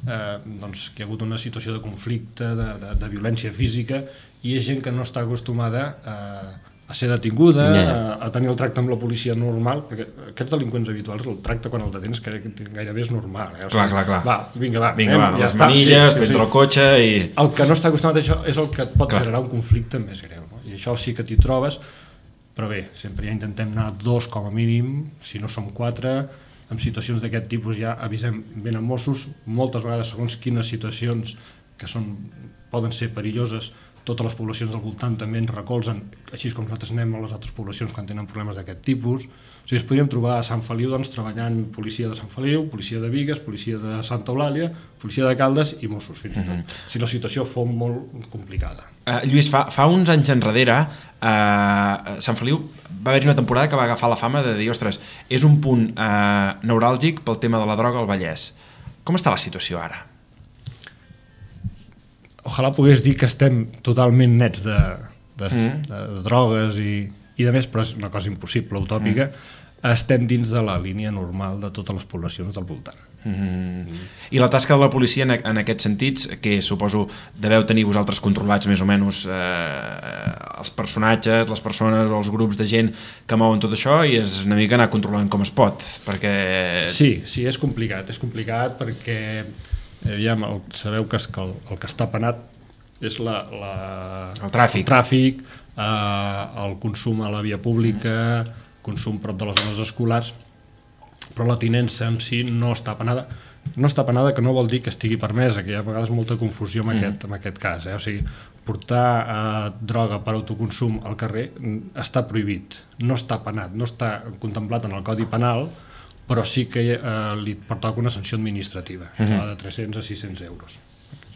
eh, doncs, que hi ha hagut una situació de conflicte, de, de, de violència física, i és gent que no està acostumada eh, a ser detinguda, yeah. a, a tenir el tracte amb la policia normal, perquè aquests delinqüents habituals, el tracte quan el detens que gairebé és normal. Eh? O sigui, clar, clar, clar. Va, vinga, va, vinga, anem, va ja les està. manilles, sí, prendre sí, sí. el cotxe i... El que no està acostumat a això és el que et pot clar. generar un conflicte més greu, no? I això sí que t'hi trobes, però bé, sempre ja intentem anar dos com a mínim, si no som quatre, en situacions d'aquest tipus ja avisem ben amb Mossos, moltes vegades segons quines situacions que són, poden ser perilloses, totes les poblacions del voltant també ens recolzen, així com nosaltres anem a les altres poblacions quan tenen problemes d'aquest tipus. O sigui, ens podríem trobar a Sant Feliu doncs, treballant policia de Sant Feliu, policia de Bigues, policia de Santa Eulàlia, policia de Caldes i Mossos, fins i tot. Mm-hmm. Si la situació fos molt complicada. Uh, Lluís, fa, fa uns anys enrere, uh, Sant Feliu va haver-hi una temporada que va agafar la fama de dir, ostres, és un punt uh, neuràlgic pel tema de la droga al Vallès. Com està la situació ara? Ojalà pogués dir que estem totalment nets de, de, mm. de, de drogues i, i de més, però és una cosa impossible, utòpica. Mm. Estem dins de la línia normal de totes les poblacions del voltant. Mm. I la tasca de la policia en, en aquests sentits, que suposo deveu tenir vosaltres controlats més o menys eh, els personatges, les persones o els grups de gent que mouen tot això, i és una mica anar controlant com es pot, perquè... Sí, sí, és complicat, és complicat perquè eh, ja sabeu que, és que el, el que està penat és la, la, el tràfic, el, tràfic eh, el consum a la via pública, consum prop de les zones escolars, però la tinença en si no està penada. No està penada, que no vol dir que estigui permesa, que hi ha a vegades molta confusió en, mm. aquest, en aquest cas. Eh? O sigui, portar eh, droga per autoconsum al carrer està prohibit, no està penat, no està contemplat en el Codi Penal, però sí que eh, li pertoca una sanció administrativa, mm -hmm. de tres-cents a sis-cents euros.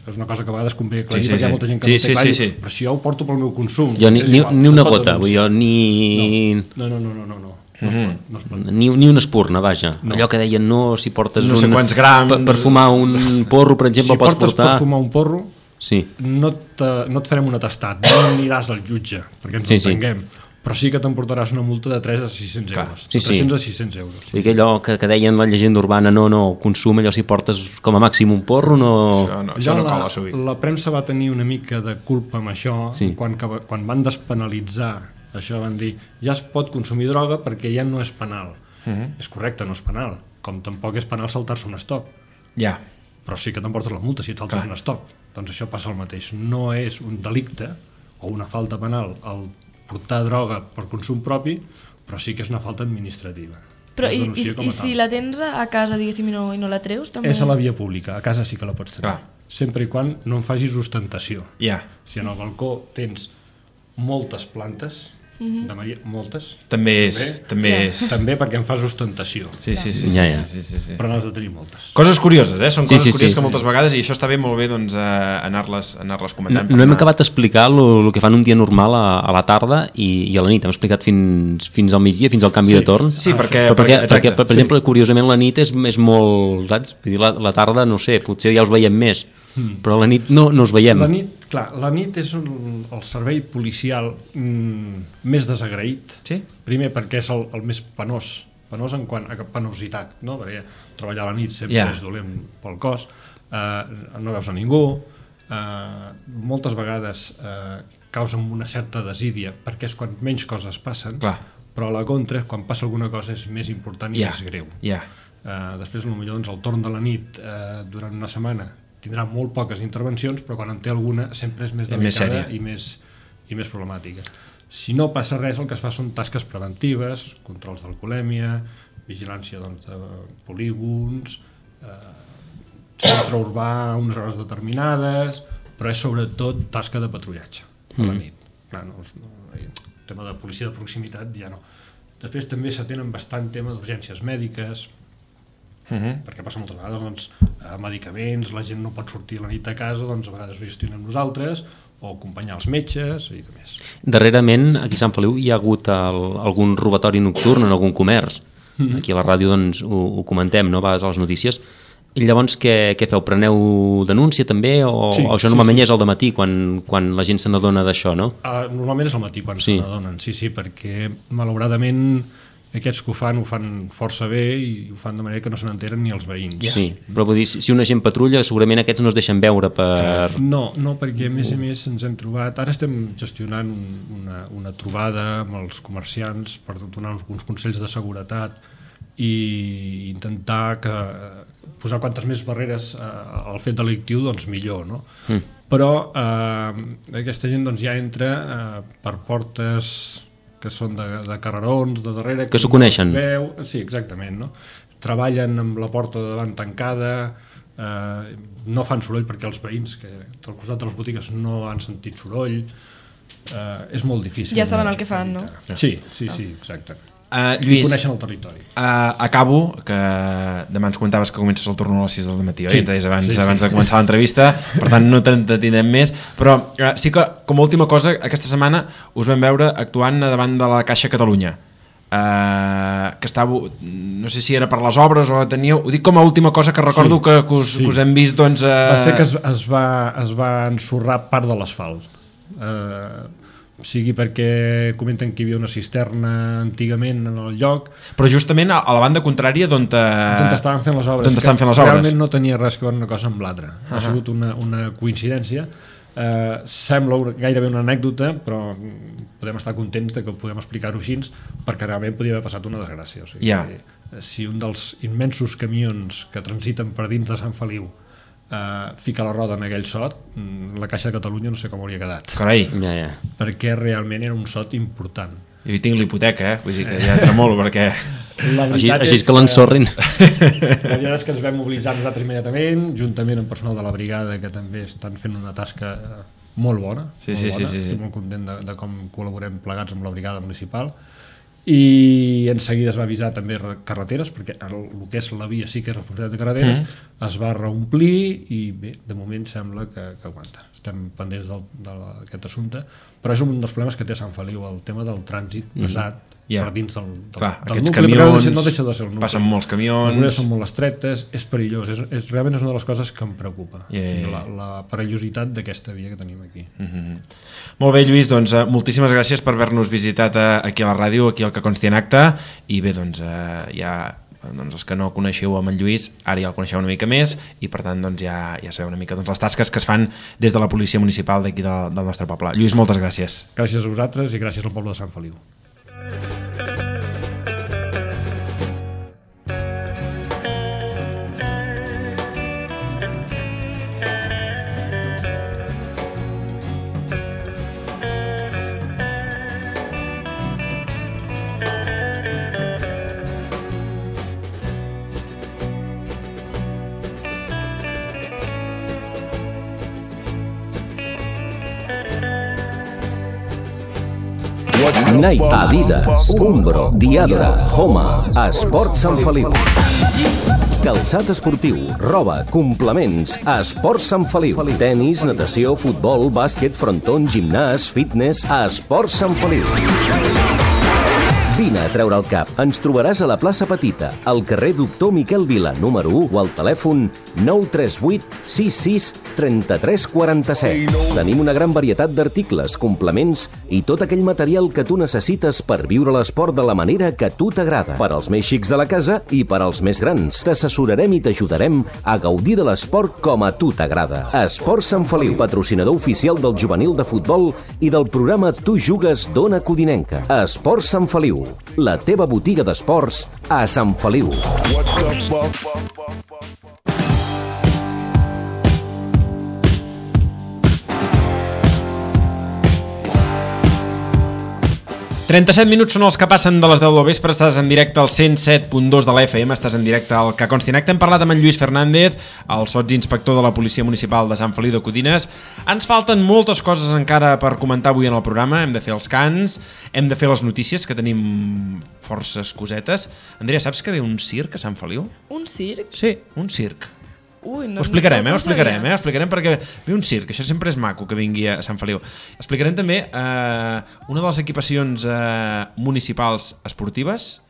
És una cosa que a vegades convé aclarir, sí, sí, perquè hi ha molta gent que sí, no té sí, clar, sí, sí. Però si jo ho porto pel meu consum... Jo ni, ni, ni una gota, vull jo, ni... No, no, no, no, no, no. No es pot, no es pot. Ni, ni una espurna, vaja. No. Allò que deien, no, si portes no sé un, quants grams... Per, per fumar un porro, per exemple, si pots portar... Si portes per fumar un porro, sí. no, te, no et farem un atestat, no aniràs al jutge, perquè ens sí, entenguem. Sí. Però sí que t'emportaràs una multa de tres a sis-cents euros. Sí, sí. tres-cents a sis-cents euros. Sí. Que allò que, que deien la llegenda urbana, no, no, consum, allò si portes com a màxim un porro, no... Això no, això no cola sovint. La, la premsa va tenir una mica de culpa amb això, sí. quan, quan van despenalitzar això, van dir, ja es pot consumir droga perquè ja no és penal. Uh -huh. És correcte, no és penal, com tampoc és penal saltar-se un stop. Ja. Yeah. Però sí que t'emportes la multa si et saltes un stop. Doncs això passa el mateix. No és un delicte o una falta penal el portar droga per consum propi, però sí que és una falta administrativa. Però i, i, i si la tens a casa, diguéssim, i no, i no la treus? També... És a la via pública, a casa sí que la pots tenir. Clar. Sempre i quan no en facis ostentació. Ja. Yeah. Si en el balcó tens moltes plantes, mm-hmm. de Maria, moltes... També és... També, yeah. és... també perquè en fas ostentació. Sí, sí, sí. Ja, ja. sí, sí, sí. Però n'has de tenir moltes. Coses curioses, eh? Són sí, coses sí, curioses sí. que moltes vegades, i això està bé, molt bé, doncs, eh, anar-les anar-les comentant. No, no hem acabat d'explicar el que fan un dia normal a, a la tarda i, i a la nit. Hem explicat fins, fins al migdia, fins al canvi sí. de torn. Sí, perquè... Però perquè, perquè, perquè per, per exemple, sí. curiosament, la nit és, és molt... Saps? Vull dir, la, la tarda, no sé, potser ja us veiem més, mm. però la nit no, no us veiem. La nit, clar, la nit és un, el servei policial mm, més desagraït. Sí? Primer perquè és el, el més penós, penós en quant a penositat, no? Perquè treballar a la nit sempre yeah. és dolent pel cos, eh, no veus a ningú, eh, moltes vegades eh, causen una certa desídia, perquè és quan menys coses passen, clar. Però a la contra, quan passa alguna cosa és més important i yeah. més greu. Yeah. Eh, després, potser doncs, el torn de la nit eh, durant una setmana tindrà molt poques intervencions, però quan en té alguna sempre és més delicada i més, i més problemàtica. Si no passa res, el que es fa són tasques preventives, controls d'alcoholèmia, vigilància doncs, de polígons, eh, centre urbà a unes hores determinades, però és sobretot tasca de patrullatge a la nit. Clar, no, no, el tema de policia de proximitat ja no. Després també s'atenen bastant tema d'urgències mèdiques, Uh -huh. perquè passa moltes vegades doncs, eh, medicaments, la gent no pot sortir a la nit a casa, doncs a vegades ho gestionem nosaltres, o acompanyar els metges i de més. Darrerament, aquí a Sant Feliu hi ha hagut el, algun robatori nocturn en algun comerç. Uh -huh. Aquí a la ràdio doncs, ho, ho comentem, no? A vegades a les notícies. I llavors què, què feu? Preneu denúncia també? O, sí, o això normalment sí, sí. és al dematí, quan, quan la gent se n'adona d'això, no? Uh, normalment és al matí quan sí. se n'adonen, sí, sí, perquè malauradament aquests que ho fan, ho fan força bé i ho fan de manera que no se n'enteren ni els veïns. Sí, però vull dir, si una gent patrulla, segurament aquests no es deixen veure per... No, no, perquè a més a més ens hem trobat... Ara estem gestionant una, una trobada amb els comerciants per donar uns consells de seguretat i intentar que, posar quantes més barreres eh, al fet delictiu, doncs millor, no? Mm. Però eh, aquesta gent doncs, ja entra eh, per portes que són de, de carrerons, de darrere... Que s'ho coneixen. Veu, sí, exactament, no? Treballen amb la porta de davant tancada, eh, no fan soroll perquè els veïns que al costat de les botigues no han sentit soroll, eh, és molt difícil. Ja saben el que fan, no? Sí, sí, sí, exacte. Uh, Lluís, coneixen el territori. Uh, acabo, que demà ens comentaves que comences el torn a les sis del matí, oi? Sí. Ens deies abans, sí, sí. abans de començar l'entrevista, per tant no t'entretindrem més, però uh, sí que, com a última cosa, aquesta setmana us vam veure actuant davant de la Caixa Catalunya, uh, que estava, no sé si era per les obres o teníeu, ho dic com a última cosa que recordo sí, que, que, us, sí. que us hem vist, doncs... Uh... Va ser que es, es, va, es va ensorrar part de l'asfalt. Uh, sigui perquè comenten que hi havia una cisterna antigament en el lloc, però justament a la banda contrària d'on te... d'on estaven fent les obres, d'on estaven fent les que obres. realment no tenia res que veure una cosa amb l'altra. Uh-huh. Ha sigut una, una coincidència. Eh, sembla gairebé una anècdota, però podem estar contents de que podem explicar-ho així, perquè realment podia haver passat una desgràcia. O sigui, yeah. Si un dels immensos camions que transiten per dins de Sant Feliu Uh, fica la roda en aquell sot, la Caixa de Catalunya no sé com hauria quedat. Carai. Ja, ja. Perquè realment era un sot important. Jo hi tinc l'hipoteca, eh? Vull dir que ja tremolo, perquè... Així, així és que l'ensorrin. La veritat és que ens vam mobilitzar nosaltres immediatament, juntament amb personal de la brigada, que també estan fent una tasca molt bona. Sí, molt sí, bona. sí, sí. Estic molt content de, de com col·laborem plegats amb la brigada municipal. I en seguida es va avisar també carreteres, perquè el, el que és la via sí que és responsabilitat de carreteres, mm. es va reomplir i bé, de moment sembla que, que aguanta. Estem pendents d'aquest assumpte, però és un dels problemes que té Sant Feliu, el tema del trànsit pesat mm. yeah. per dins del, del, Clar, del aquests nucli, camions, no deixa de ser el nucli. Passen molts camions, les són molt estretes, és perillós, és, és, realment és una de les coses que em preocupa, yeah, yeah, yeah. La, la perillositat d'aquesta via que tenim aquí. Mm-hmm. Molt bé, Lluís, doncs uh, moltíssimes gràcies per haver-nos visitat uh, aquí a la ràdio, aquí al Que Consti en Acta, i bé, doncs uh, ja doncs els que no coneixeu amb en Lluís ara ja el coneixeu una mica més i per tant doncs ja, ja sabeu una mica doncs, les tasques que es fan des de la policia municipal d'aquí del, del nostre poble. Lluís, moltes gràcies. Gràcies a vosaltres i gràcies al poble de Sant Feliu. Nike, Adidas, Umbro, Diadora, Homa, Esport Sant Feliu. Calçat esportiu, roba, complements, Esport Sant Feliu. Tenis, natació, futbol, bàsquet, frontó, gimnàs, fitness, Esport Sant Feliu. Vine a treure el cap. Ens trobaràs a la plaça Petita, al carrer Doctor Miquel Vila, número u, o al telèfon nou tres vuit sis sis tres tres quatre set. Tenim una gran varietat d'articles, complements i tot aquell material que tu necessites per viure l'esport de la manera que a tu t'agrada. Per als més xics de la casa i per als més grans. T'assessorarem i t'ajudarem a gaudir de l'esport com a tu t'agrada. Esport Sant Feliu, patrocinador oficial del juvenil de futbol i del programa Tu Jugues d'Ona Codinenca. Esport Sant Feliu, la teva botiga d'esports a Sant Feliu. trenta-set minuts són els que passen de les deu del vespre. Estàs en directe al cent set punt dos de la F M, estàs en directe al Que Consti en Acta. Hem parlat amb en Lluís Fernández, el sotsinspector de la Policia Municipal de Sant Feliu de Codines. Ens falten moltes coses encara per comentar avui en el programa. Hem de fer els cants, hem de fer les notícies, que tenim forces cosetes. Andrea, saps que ve un circ a Sant Feliu? Un circ? Sí, un circ. Ui, no, ho explicarem, no, eh? no Ho explicarem, eh? Ho explicarem perquè ve un circ, això sempre és maco que vingui a Sant Feliu. Explicarem també eh, una de les equipacions eh, municipals esportives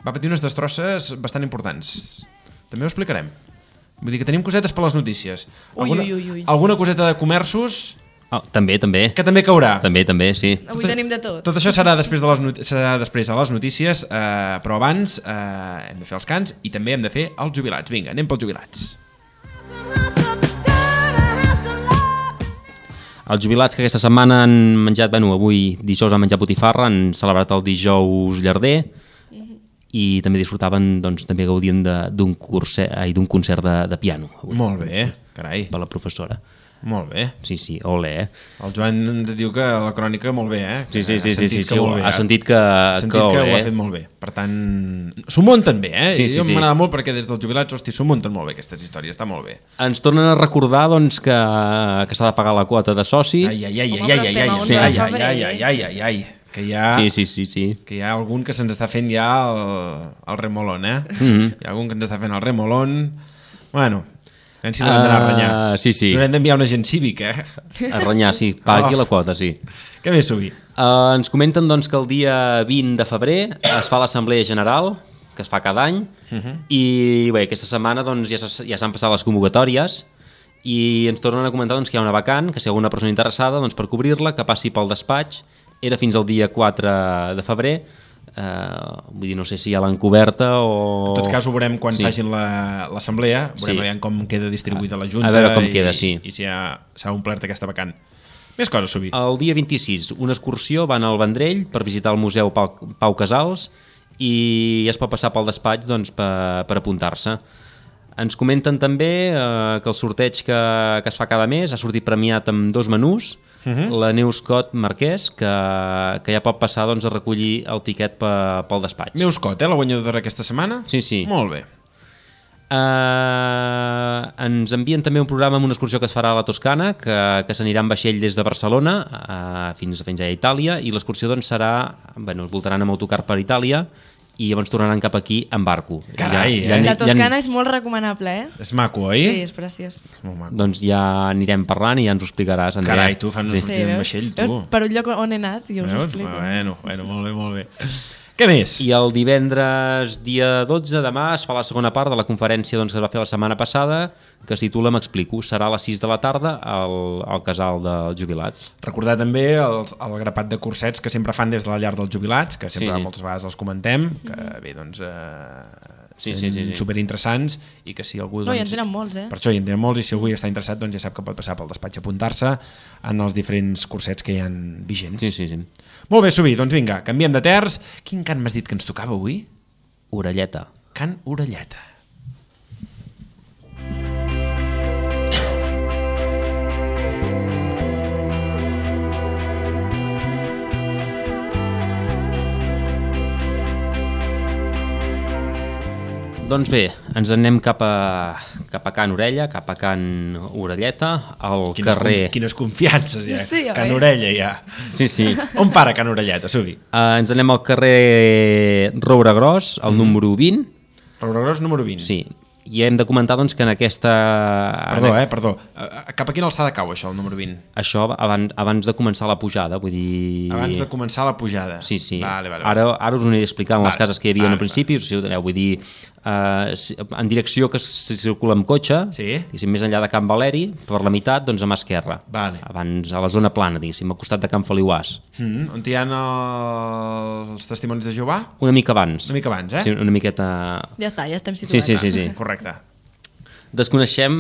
va patir unes destrosses bastant importants. També ho explicarem. Vull dir que tenim cosetes per les notícies. Alguna, ui, ui, ui. alguna coseta de comerços... Oh, també, també. Que també caurà. També, també, sí. Avui tenim de tot. Tot això serà després de les, not serà després de les notícies, eh, però abans eh, hem de fer els cants i també hem de fer els jubilats. Vinga, anem pels jubilats. Els jubilats que aquesta setmana han menjat, bueno, avui dijous han menjat botifarra, han celebrat el dijous llarder i també disfrutaven, doncs també gaudien d'un concert, d'un concert de, de piano. Avui. Molt bé, carai. Per la professora. Molt bé. Sí, sí, ole, eh? El Joan diu que la crònica molt bé, eh? Sí, sí, sí, sí, sí, sí, bé, ha sentit que, ha sentit que, que ole, ho ha fet molt bé. Per tant, s'ho munten bé, eh? Sí, sí, jo sí. m'agrada molt perquè des dels jubilats, hosti, s'ho munten molt bé aquestes històries, està molt bé. Ens tornen a recordar, doncs, que, que s'ha de pagar la quota de soci. Ai, ai, ai, Home, ai, però ai, estem ai, a ai, onze de ai, febrer. ai, ai, ai, ai, ai, que hi ha... Sí, sí, sí, sí. Que hi ha algun que se'ns està fent ja el, el remolón, eh? Mm-hmm. Hi ha algun que ens està fent el remolón... Bueno... A veure si l'haurem d'anar a renyar. Uh, sí, sí. L'haurem d'enviar un agent cívic, eh? A renyar, sí. Pagui Oh. la quota, sí. Que bé, Subi. Uh, ens comenten doncs, que el dia vint de febrer es fa l'Assemblea General, que es fa cada any, uh-huh. i bé, aquesta setmana doncs, ja s'han ja passat les convocatòries i ens tornen a comentar doncs, que hi ha una vacant, que si hi ha alguna persona interessada doncs, per cobrir-la, que passi pel despatx era fins al dia quatre de febrer, eh, vull dir, no sé si ja l'han coberta o... En tot cas ho veurem quan sí. facin l'assemblea, veurem Sí. com queda distribuïda la Junta A veure com i, queda, sí. i si ha, s'ha omplert aquesta vacant. Més coses, Subi. El dia vint-i-sis, una excursió, van al Vendrell per visitar el Museu Pau, Pau Casals i es pot passar pel despatx doncs, per, per apuntar-se. Ens comenten també eh, que el sorteig que, que es fa cada mes ha sortit premiat amb dos menús, uh -huh. la Neus Cot Marquès, que, que ja pot passar doncs, a recollir el tiquet pe, pel despatx. Neus Cot, eh, la guanyadora aquesta setmana? Sí, sí. Molt bé. Uh, ens envien també un programa amb una excursió que es farà a la Toscana, que, que s'anirà en vaixell des de Barcelona uh, fins, fins a Itàlia, i l'excursió doncs, serà, bueno, es voltaran amb autocar per Itàlia i llavors tornaran cap aquí en barco. Carai, ja, eh? La Toscana és molt recomanable, eh? És maco, oi? Sí, és preciós. Molt maco. Doncs ja anirem parlant i ja ens ho explicaràs, Andrea. Carai, tu fan una Sí. sortida en vaixell, tu. Veus? Per un lloc on he anat i us ho Veus? explico. Bueno, bueno, molt bé, molt bé. Què més? I el divendres, dia dotze de demà, es fa la segona part de la conferència doncs, que es va fer la setmana passada, que es titula M'explico. Serà a les sis de la tarda al, al casal dels jubilats. Recordar també el, el grapat de cursets que sempre fan des de la llar dels jubilats, que sempre Sí. moltes vegades els comentem, que bé, doncs... Eh, Sí, sí, sí, sí, sí. superinteressants i que si algú... No, doncs, i en tenen molts, eh? Per això hi en tenen molts i si algú hi està interessat doncs ja sap que pot passar pel despatx a apuntar-se en els diferents cursets que hi ha vigents. Sí, sí, sí. Molt bé, Subi, doncs vinga, canviem de terç. Quin cant m'has dit que ens tocava avui? Orelleta. Cant Orelleta. Doncs bé, ens anem cap a, cap a Can Orella, cap a Can Orelleta, al Quines, carrer... conf quines confiances, ja. Sí, oi? Can Orella, ja. Sí, sí. On para Can Orelleta, Subi? Uh, ens anem al carrer Roure Gros, al número vint. Roure Gros, número vint. Sí, i hem de comentar doncs, que en aquesta... Perdó, eh, perdó. Uh, cap a quina alçada cau això, el número vint? Això abans, abans de començar la pujada, vull dir... Abans de començar la pujada. Sí, sí. Vale, vale, vale. Ara, ara us ho aniré explicant Vale, les cases que hi havia vale, al principi, vale. si ho teniu, vull dir, uh, en direcció que se circula amb cotxe, Sí. diguéssim, més enllà de Can Valeri, per la meitat, doncs a mà esquerra. Vale. Abans, a la zona plana, diguéssim, al costat de Can Feliuàs. Mm, on hi ha els testimonis de Jehovà? Una mica abans. Una mica abans, eh? Sí, una miqueta... Ja està, ja estem Sí, situats. sí, sí, sí. Correcte. Desconeixem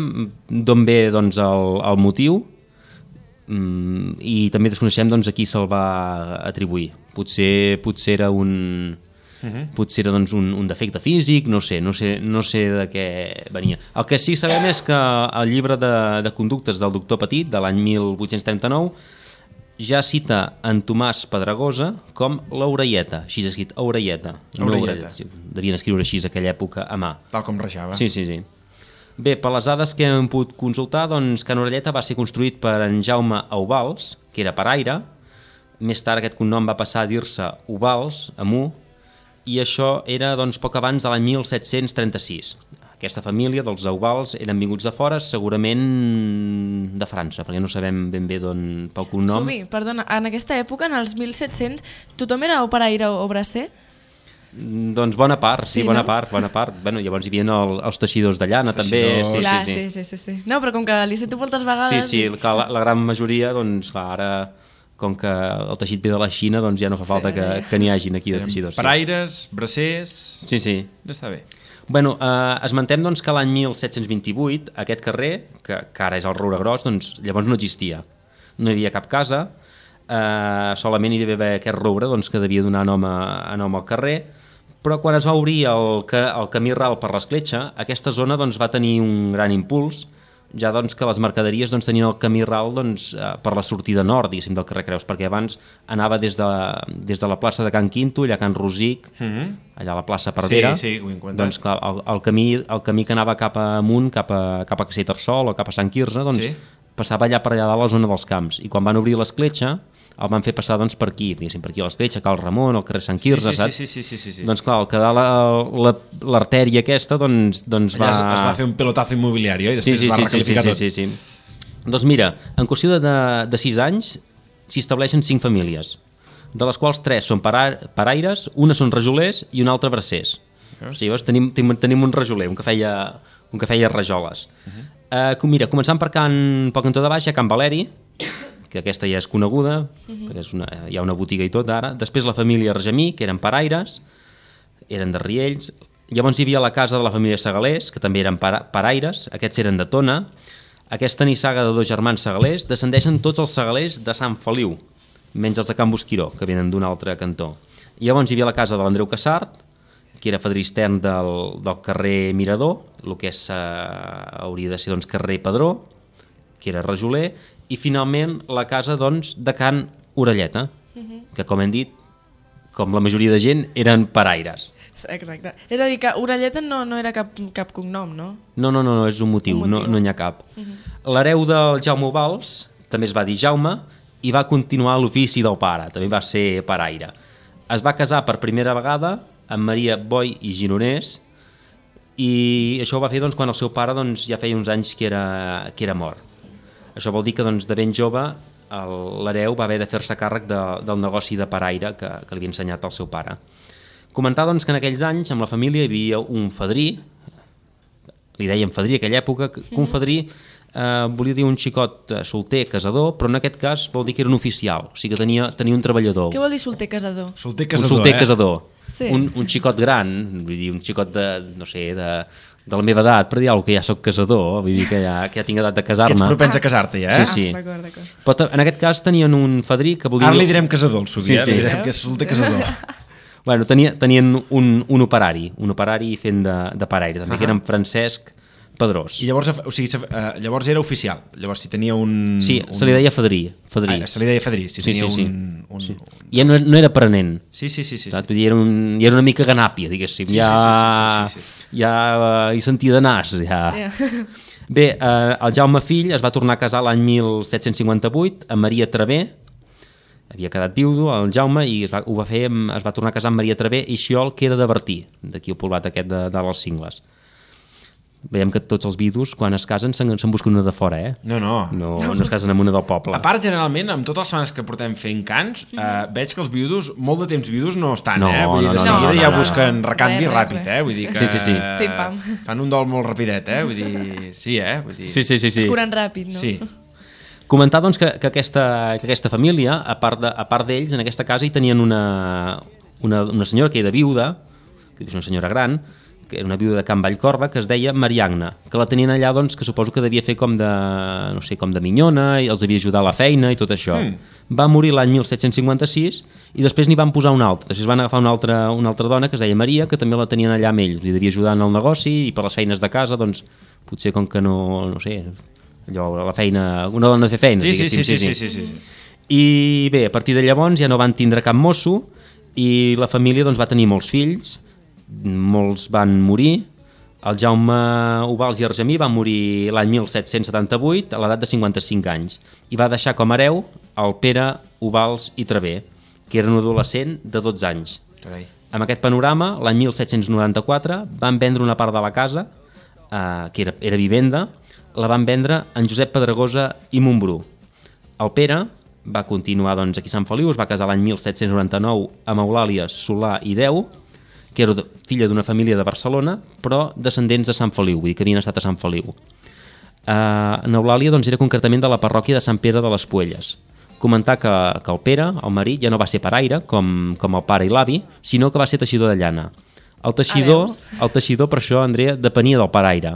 d'on ve doncs, el, el motiu mm, i també desconeixem doncs, a qui se'l va atribuir. Potser, potser era un... Uh -huh. Potser era doncs, un, un defecte físic, no sé, no sé, no sé de què venia. El que sí que sabem és que el llibre de, de conductes del doctor Petit, de l'any mil vuit-cents trenta-nou, ja cita en Tomàs Pedregosa com l'Orelleta, així és escrit, Orelleta. No Orelleta. Orelleta. Sí, devien escriure així a aquella època a mà. Tal com rejava. Sí, sí, sí. Bé, per les dades que hem pogut consultar, doncs Can Orelleta va ser construït per en Jaume Eubals, que era paraire. Més tard aquest cognom va passar a dir-se Ubals, amb U, i això era doncs, poc abans de l'any mil set-cents trenta-sis. Aquesta família dels Eubals eren vinguts de fora, segurament de França, perquè no sabem ben bé d'on pel cognom. Subi, perdona, en aquesta època, en els mil set-cents, tothom era o paraire o bracer? Doncs bona part, sí, Sí, bona no? part, bona part. Bueno, llavors hi havia el, els teixidors de llana, també. Teixidors. Sí, Clar, sí, sí. sí, sí, sí, sí. No, però com que li sento moltes vegades... Sí, sí, clar, la, la gran majoria, doncs, clar, ara, com que el teixit ve de la Xina, doncs ja no fa falta Sí. que, que n'hi hagin aquí de teixidors. Sí. Paraires, bracers... Sí, sí. Està bé. Bueno, eh, esmentem doncs, que l'any mil set-cents vint-i-vuit aquest carrer, que, que ara és el Roure Gros, doncs llavors no existia. No hi havia cap casa, eh, solament hi devia haver aquest roure doncs, que devia donar nom, a, a nom al carrer, però quan es va obrir el, el camí ral per l'escletxa, aquesta zona doncs, va tenir un gran impuls, ja doncs, que les mercaderies doncs, tenien el camí ral doncs, eh, per la sortida nord, diguéssim, del carrer Creus, perquè abans anava des de, des de la plaça de Can Quinto, allà a Can Rosic, Mm -hmm. allà a la plaça Perdera, Sí, sí, ho he comentat. doncs clar, el, el, camí, el camí que anava cap amunt, cap a, cap a Castellterçol o cap a Sant Quirze, doncs Sí. passava allà per allà dalt a la zona dels camps, i quan van obrir l'escletxa el van fer passar doncs, per aquí, diguéssim, per aquí a l'escletxa, Cal Ramon, al carrer Sant Quirze, sí, sí, saps? sí, sí, sí, sí, sí. Doncs clar, al quedar l'artèria aquesta, doncs, doncs Allà va... es, es va fer un pelotazo immobiliari, oi? Sí, Després sí, es va sí, sí, sí, recalificar sí, tot. sí, sí. Doncs mira, en qüestió de, de, de sis anys s'hi estableixen cinc famílies, de les quals tres són para, paraires, una són rajolers i una altra bracers. O sigui, llavors tenim, tenim, tenim un rajoler, un que feia, un que feia rajoles. Uh -huh. uh, mira, començant per, Can, pel cantó de baix, a Can Valeri, que aquesta ja és coneguda, uh-huh. perquè és una, hi ha una botiga i tot ara. Després la família Argemí, que eren paraires, eren de Riells. Llavors hi havia la casa de la família Segalers, que també eren para, paraires, aquests eren de Tona. Aquesta nissaga de dos germans segalers descendeixen tots els segalers de Sant Feliu, menys els de Can Bosquiró, que venen d'un altre cantó. I llavors hi havia la casa de l'Andreu Cassart, que era fadrí extern del, del carrer Mirador, el que és, eh, hauria de ser doncs, carrer Padró, que era rajoler, i finalment la casa doncs, de Can Orelleta, uh-huh. que com hem dit, com la majoria de gent, eren paraires. Exacte. És a dir, que Orelleta no, no era cap, cap cognom, no? No, no, no, no és un motiu, un motiu. No, no n'hi ha cap. Uh-huh. L'hereu del Jaume Ubals també es va dir Jaume i va continuar l'ofici del pare, també va ser paraire. Es va casar per primera vegada amb Maria Boi i Gironès i això ho va fer doncs, quan el seu pare doncs, ja feia uns anys que era, que era mort. Això vol dir que doncs, de ben jove l'hereu va haver de fer-se càrrec de, del negoci de paraire que, que li havia ensenyat el seu pare. Comentar doncs, que en aquells anys amb la família hi havia un fadrí, li dèiem fadrí a aquella època, que un fadrí eh, volia dir un xicot solter, casador, però en aquest cas vol dir que era un oficial, o sigui que tenia, tenia un treballador. Què vol dir solter casador? Solter casador, un solter eh? casador. Sí. Un, un xicot gran, vull dir, un xicot de, no sé, de, de la meva edat, per dir alguna cosa, que ja soc casador, vull dir que ja, que ja tinc edat de casar-me. Que ets propens a casar-te, ja, eh? Sí, sí. Ah, d'acord, d'acord. Però en aquest cas tenien un fadrí que volia... Ara li direm casador, el Subi, Sí, eh? sí. Li direm que és solter casador. Bueno, tenia, tenien un, un operari, un operari fent de, de paraire, també, uh -huh. que era en Francesc Pedrós. I llavors, o sigui, uh, llavors era oficial, llavors si tenia un... Sí, un... se li deia fadrí. fadrí. Ah, se li deia fadrí, si sí, tenia sí, sí. un... un, sí. un... I no, no era aprenent. Sí, sí, sí. sí, sí. Vull dir, era, un, era una mica ganàpia, diguéssim. Sí, ja, sí, sí, sí, sí, sí. ja uh, hi sentia de nas, ja. Yeah. Bé, eh, el Jaume fill es va tornar a casar l'any mil set-cents cinquanta-vuit amb Maria Travé, havia quedat viudo el Jaume i es va, ho va fer, es va tornar a casar amb Maria Travé i Xiol, que era de Bertí, d'aquí el poblat aquest de, de les Cingles. Veiem que tots els vidus, quan es casen, se'n se busquen una de fora, eh? No, no. No, no es casen amb una del poble. A part, generalment, amb totes les setmanes que portem fent cants, eh, veig que els viudos, molt de temps viudos no estan, No, eh? Vull dir, no, de no, seguida no, no, ja no, busquen no. recanvi Res, ràpid, res. eh? Vull dir que Sí, sí, sí. Pim-pam. fan un dol molt rapidet, eh? Vull dir, sí, eh? Vull dir... Sí, sí, sí. sí. Es curen ràpid, no? Sí. Comentar doncs, que, que, aquesta, que aquesta família, a part de, a part d'ells, en aquesta casa hi tenien una, una, una senyora que era viuda, que és una senyora gran, que era una viuda de Can Vallcorba, que es deia Mariagna, que la tenien allà, doncs, que suposo que devia fer com de, no sé, com de minyona, i els devia ajudar a la feina i tot això. Mm. Va morir l'any mil set-cents cinquanta-sis i després n'hi van posar una altra. Després van agafar una altra, una altra dona que es deia Maria, que també la tenien allà amb ells. Li devia ajudar en el negoci i per les feines de casa, doncs, potser com que no, no sé, allò, la feina, una dona de fer feines, Sí, sí, diguéssim. sí, sí, sí, sí, sí. I bé, a partir de llavors ja no van tindre cap mosso i la família doncs, va tenir molts fills, molts van morir. El Jaume Ubals i Argemí va morir l'any mil set-cents setanta-vuit a l'edat de cinquanta-cinc anys i va deixar com a hereu el Pere Ubals i Travé, que era un adolescent de dotze anys. Carai. Amb aquest panorama, l'any mil set-cents noranta-quatre van vendre una part de la casa, eh, que era, era vivenda, la van vendre en Josep Pedregosa i Montbrú. El Pere va continuar doncs, aquí a Sant Feliu, es va casar l'any mil set-cents noranta-nou amb Eulàlia Solà i Deu, que era filla d'una família de Barcelona, però descendents de Sant Feliu, vull dir que havien estat a Sant Feliu. Uh, en Eulàlia doncs, era concretament de la parròquia de Sant Pere de les Puelles. Comentar que, que el Pere, el marit, ja no va ser paraire, com, com el pare i l'avi, sinó que va ser teixidor de llana. El teixidor, el teixidor, per això, Andrea, depenia del paraire.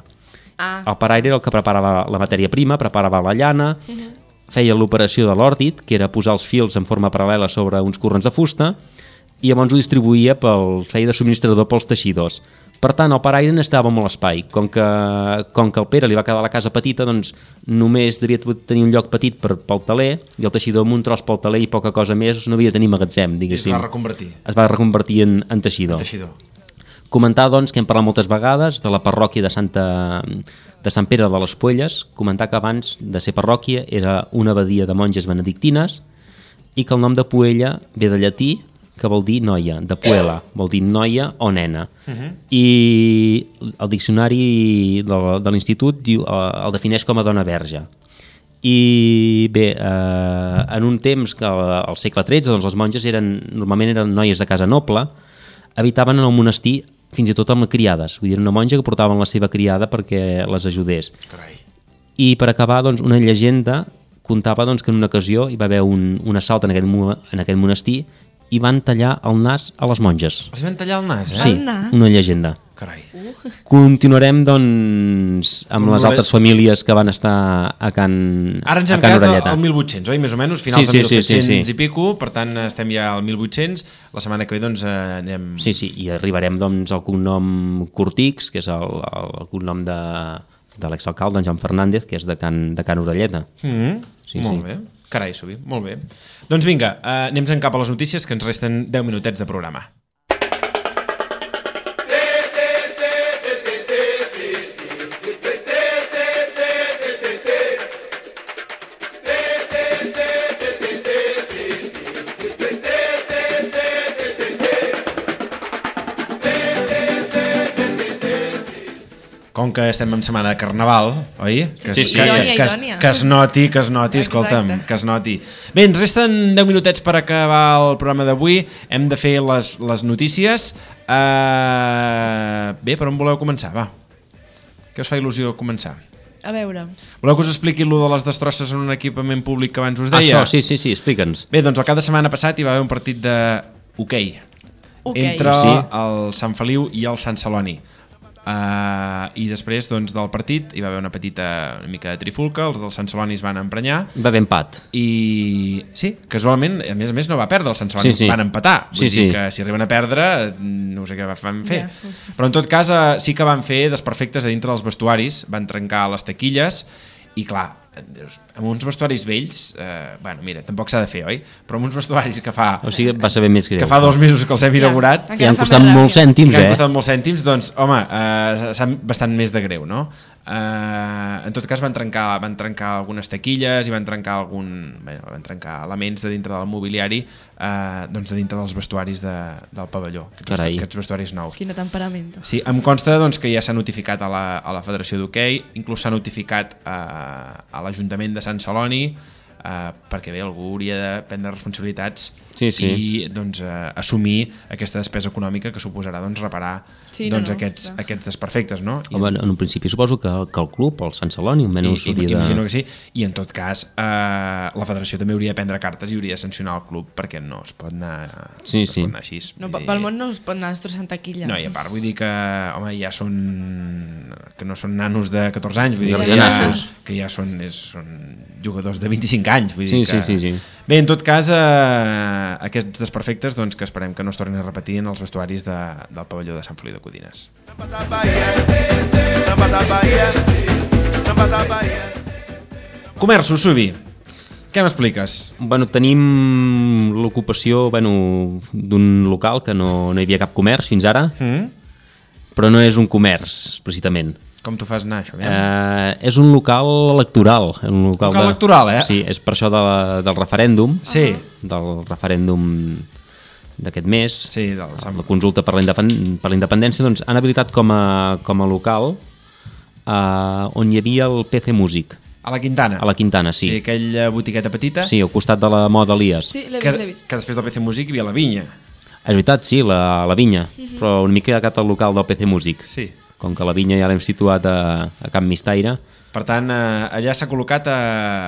Ah. El paraire era el que preparava la matèria prima, preparava la llana, uh-huh. feia l'operació de l'òrdit, que era posar els fils en forma paral·lela sobre uns corrents de fusta, i llavors ho distribuïa, pel, feia de subministrador pels teixidors. Per tant, el paraire necessitava molt espai. Com que, com que el Pere li va quedar la casa petita, doncs només devia tenir un lloc petit per, pel taler, i el teixidor amb un tros pel taler i poca cosa més no havia de tenir magatzem, diguéssim. I es va reconvertir. Es va reconvertir en, en teixidor. En teixidor. Comentar, doncs, que hem parlat moltes vegades de la parròquia de, Santa, de Sant Pere de les Puelles, comentar que abans de ser parròquia era una abadia de monges benedictines i que el nom de Puella ve de llatí, que vol dir noia, de puela, vol dir noia o nena. Uh-huh. I el diccionari de, de l'institut diu, el defineix com a dona verge. I bé, eh, en un temps que al segle tretze doncs, les monges eren, normalment eren noies de casa noble, habitaven en el monestir fins i tot amb criades. Vull dir, una monja que portaven la seva criada perquè les ajudés. Carai. I per acabar, doncs, una llegenda contava doncs, que en una ocasió hi va haver un, un assalt en aquest, en aquest monestir i van tallar el nas a les monges. Els van tallar el nas, eh? Sí, El nas? una llegenda. Carai. Continuarem, doncs, amb les Amb altres famílies que van estar a Can, Ara ens a hem Can quedat Orelleta. al mil vuit-cents, oi? Més o menys, finals Sí, de sí, sí, mil set-cents sí, sí. i pico, per tant estem ja al mil vuit-cents. La setmana que ve doncs eh, anem... Sí, sí, i arribarem doncs, al cognom Cortix, que és el, el cognom de, de l'exalcalde, en Joan Fernández, que és de Can, de Can Orelleta. Mm -hmm. Sí, molt sí. bé. Carai, Subi, molt bé. Doncs vinga, eh, anem cap a les notícies, que ens resten deu minutets de programa. Com que estem en setmana de Carnaval, oi? Que, Sí, sí. que, Idònia, que, que, idònia. que es noti, que es noti, escolta'm, Exacte. que es noti. Bé, ens resten deu minutets per acabar el programa d'avui. Hem de fer les, les notícies. Uh, bé, per on voleu començar? Va. Què us fa il·lusió començar? A veure. Voleu que us expliqui allò de les destrosses en un equipament públic que abans us deia? Això, sí, sí, sí, explica'ns. Bé, doncs el cap de setmana passat hi va haver un partit de hoquei Ok. entre Sí. el Sant Feliu i el Sant Celoni. Uh, I després doncs, del partit hi va haver una petita una mica de trifulca, els del Sant Celoni es van emprenyar Va haver empat. i sí, casualment, a més a més no va perdre el Sant Celoni, Sí, sí. van empatar, vull Sí, dir sí. que si arriben a perdre no sé què van fer, Ja. però en tot cas eh, sí que van fer desperfectes a dintre dels vestuaris, van trencar les taquilles i clar, dius, amb uns vestuaris vells, eh, bueno, mira, tampoc s'ha de fer, oi? Però amb uns vestuaris que fa O sigui, va ser ben més greu. que fa dos mesos que els hem Ja. inaugurat Encara I han fa costat més molts ràbia. i cèntims, que han eh? costat molts cèntims, doncs, home, eh, s'han bastant més de greu, no? Eh, en tot cas van trencar, van trencar algunes taquilles i van trencar algun, bé, van trencar elements de dintre del mobiliari, eh, doncs de dintre dels vestuaris de, del pavelló, aquests, Carai. aquests vestuaris nous. Quin temperament. Sí, em consta doncs, que ja s'ha notificat a la, a la Federació d'Hoquei, inclús s'ha notificat a, a l'Ajuntament de Sant Celoni, eh, perquè bé, algú hauria de prendre responsabilitats Sí, sí. i doncs, eh, assumir aquesta despesa econòmica que suposarà doncs, reparar Sí, no, doncs, no, aquests, clar. aquests desperfectes. No? I, Home, en un principi suposo que, que el club, el Sant Celoni, i, almenys i, hauria de... imagino que sí, i en tot cas eh, la Federació també hauria de prendre cartes i hauria de sancionar el club perquè no es pot anar, Sí, no es sí. pot anar així. No, Vull dir- pel món no es pot anar destrossant taquilla. No, i a part vull dir que, home, ja són... que no són nanos de catorze anys, vull dir que ja, Garganassos. que ja són, és, són jugadors de vint-i-cinc anys. Vull Sí, dir que... sí, sí, sí. Bé, en tot cas, eh, aquests desperfectes, doncs, que esperem que no es tornin a repetir en els vestuaris de, del pavelló de Sant Feliu de Codines. Comerços, Subi. Què m'expliques? Bueno, tenim l'ocupació bueno, d'un local que no, no hi havia cap comerç fins ara, Mm? però no és un comerç, precisament. Com t'ho fas anar, això? Eh? Eh, és un local electoral. Un local, Local de... electoral, eh? Sí, és per això de la, del referèndum, Sí. del referèndum d'aquest mes, Sí, del Sant... la consulta per la, independ... per la independència, doncs han habilitat com a, com a local eh, on hi havia el P C Music, A la Quintana. a la Quintana, sí. Sí, aquella botiqueta petita. Sí, al costat de la moda Elias. Sí, l'he que, vist, l'he vist. que després del P C Music hi havia la vinya. És veritat, sí, la, la vinya, però una mica agat al local del P C Music. Sí. Com que la vinya ja l'hem situat a, a Camp Mistaire. Per tant, eh, allà s'ha col·locat a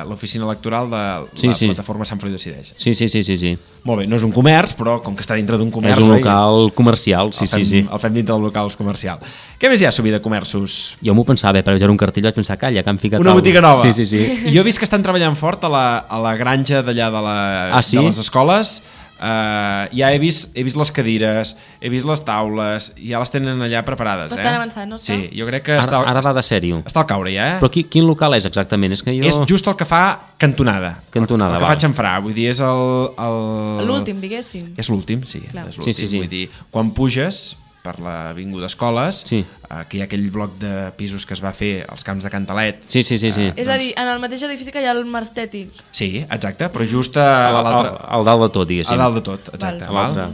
l'oficina electoral de Sí, la sí. plataforma Sant Feliu Decideix. Sí, sí, sí, sí, sí. Molt bé, no és un comerç, però com que està dintre d'un comerç... És un oi? local comercial, sí, el fem, sí, sí. El fem dintre del local comercial. Què més hi ha, Subi, de comerços? Jo m'ho pensava, eh, per veure un cartell vaig pensar, calla, que han ficat... Una algo. botiga nova. Sí, sí, sí. Jo he vist que estan treballant fort a la, a la granja d'allà de, la, Ah, sí? de les escoles. Uh, ja he vist, he vist les cadires, he vist les taules, ja les tenen allà preparades. Bastant eh? avançat, no està? Sí, jo crec que Ara, està, ara va de sèrio. està al caure ja, eh? Però qui, quin local és exactament? És que jo... És just el que fa cantonada. Cantonada, el que val. fa xamfrà, vull dir, és el... el... L'últim, diguéssim. És l'últim, sí. Clar. És l'últim. Sí, sí, sí. Vull dir, quan puges per l'avinguda Escoles, Sí. eh, que hi ha aquell bloc de pisos que es va fer als camps de Cantalet. Sí, sí, sí, sí. És a dir, en el mateix edifici que hi ha el Mar Estètic. Sí, exacte, però just a, Al, a al, l'altre... al dalt de tot, diguéssim. A dalt de tot, exacte. Val. Val. A l'altre.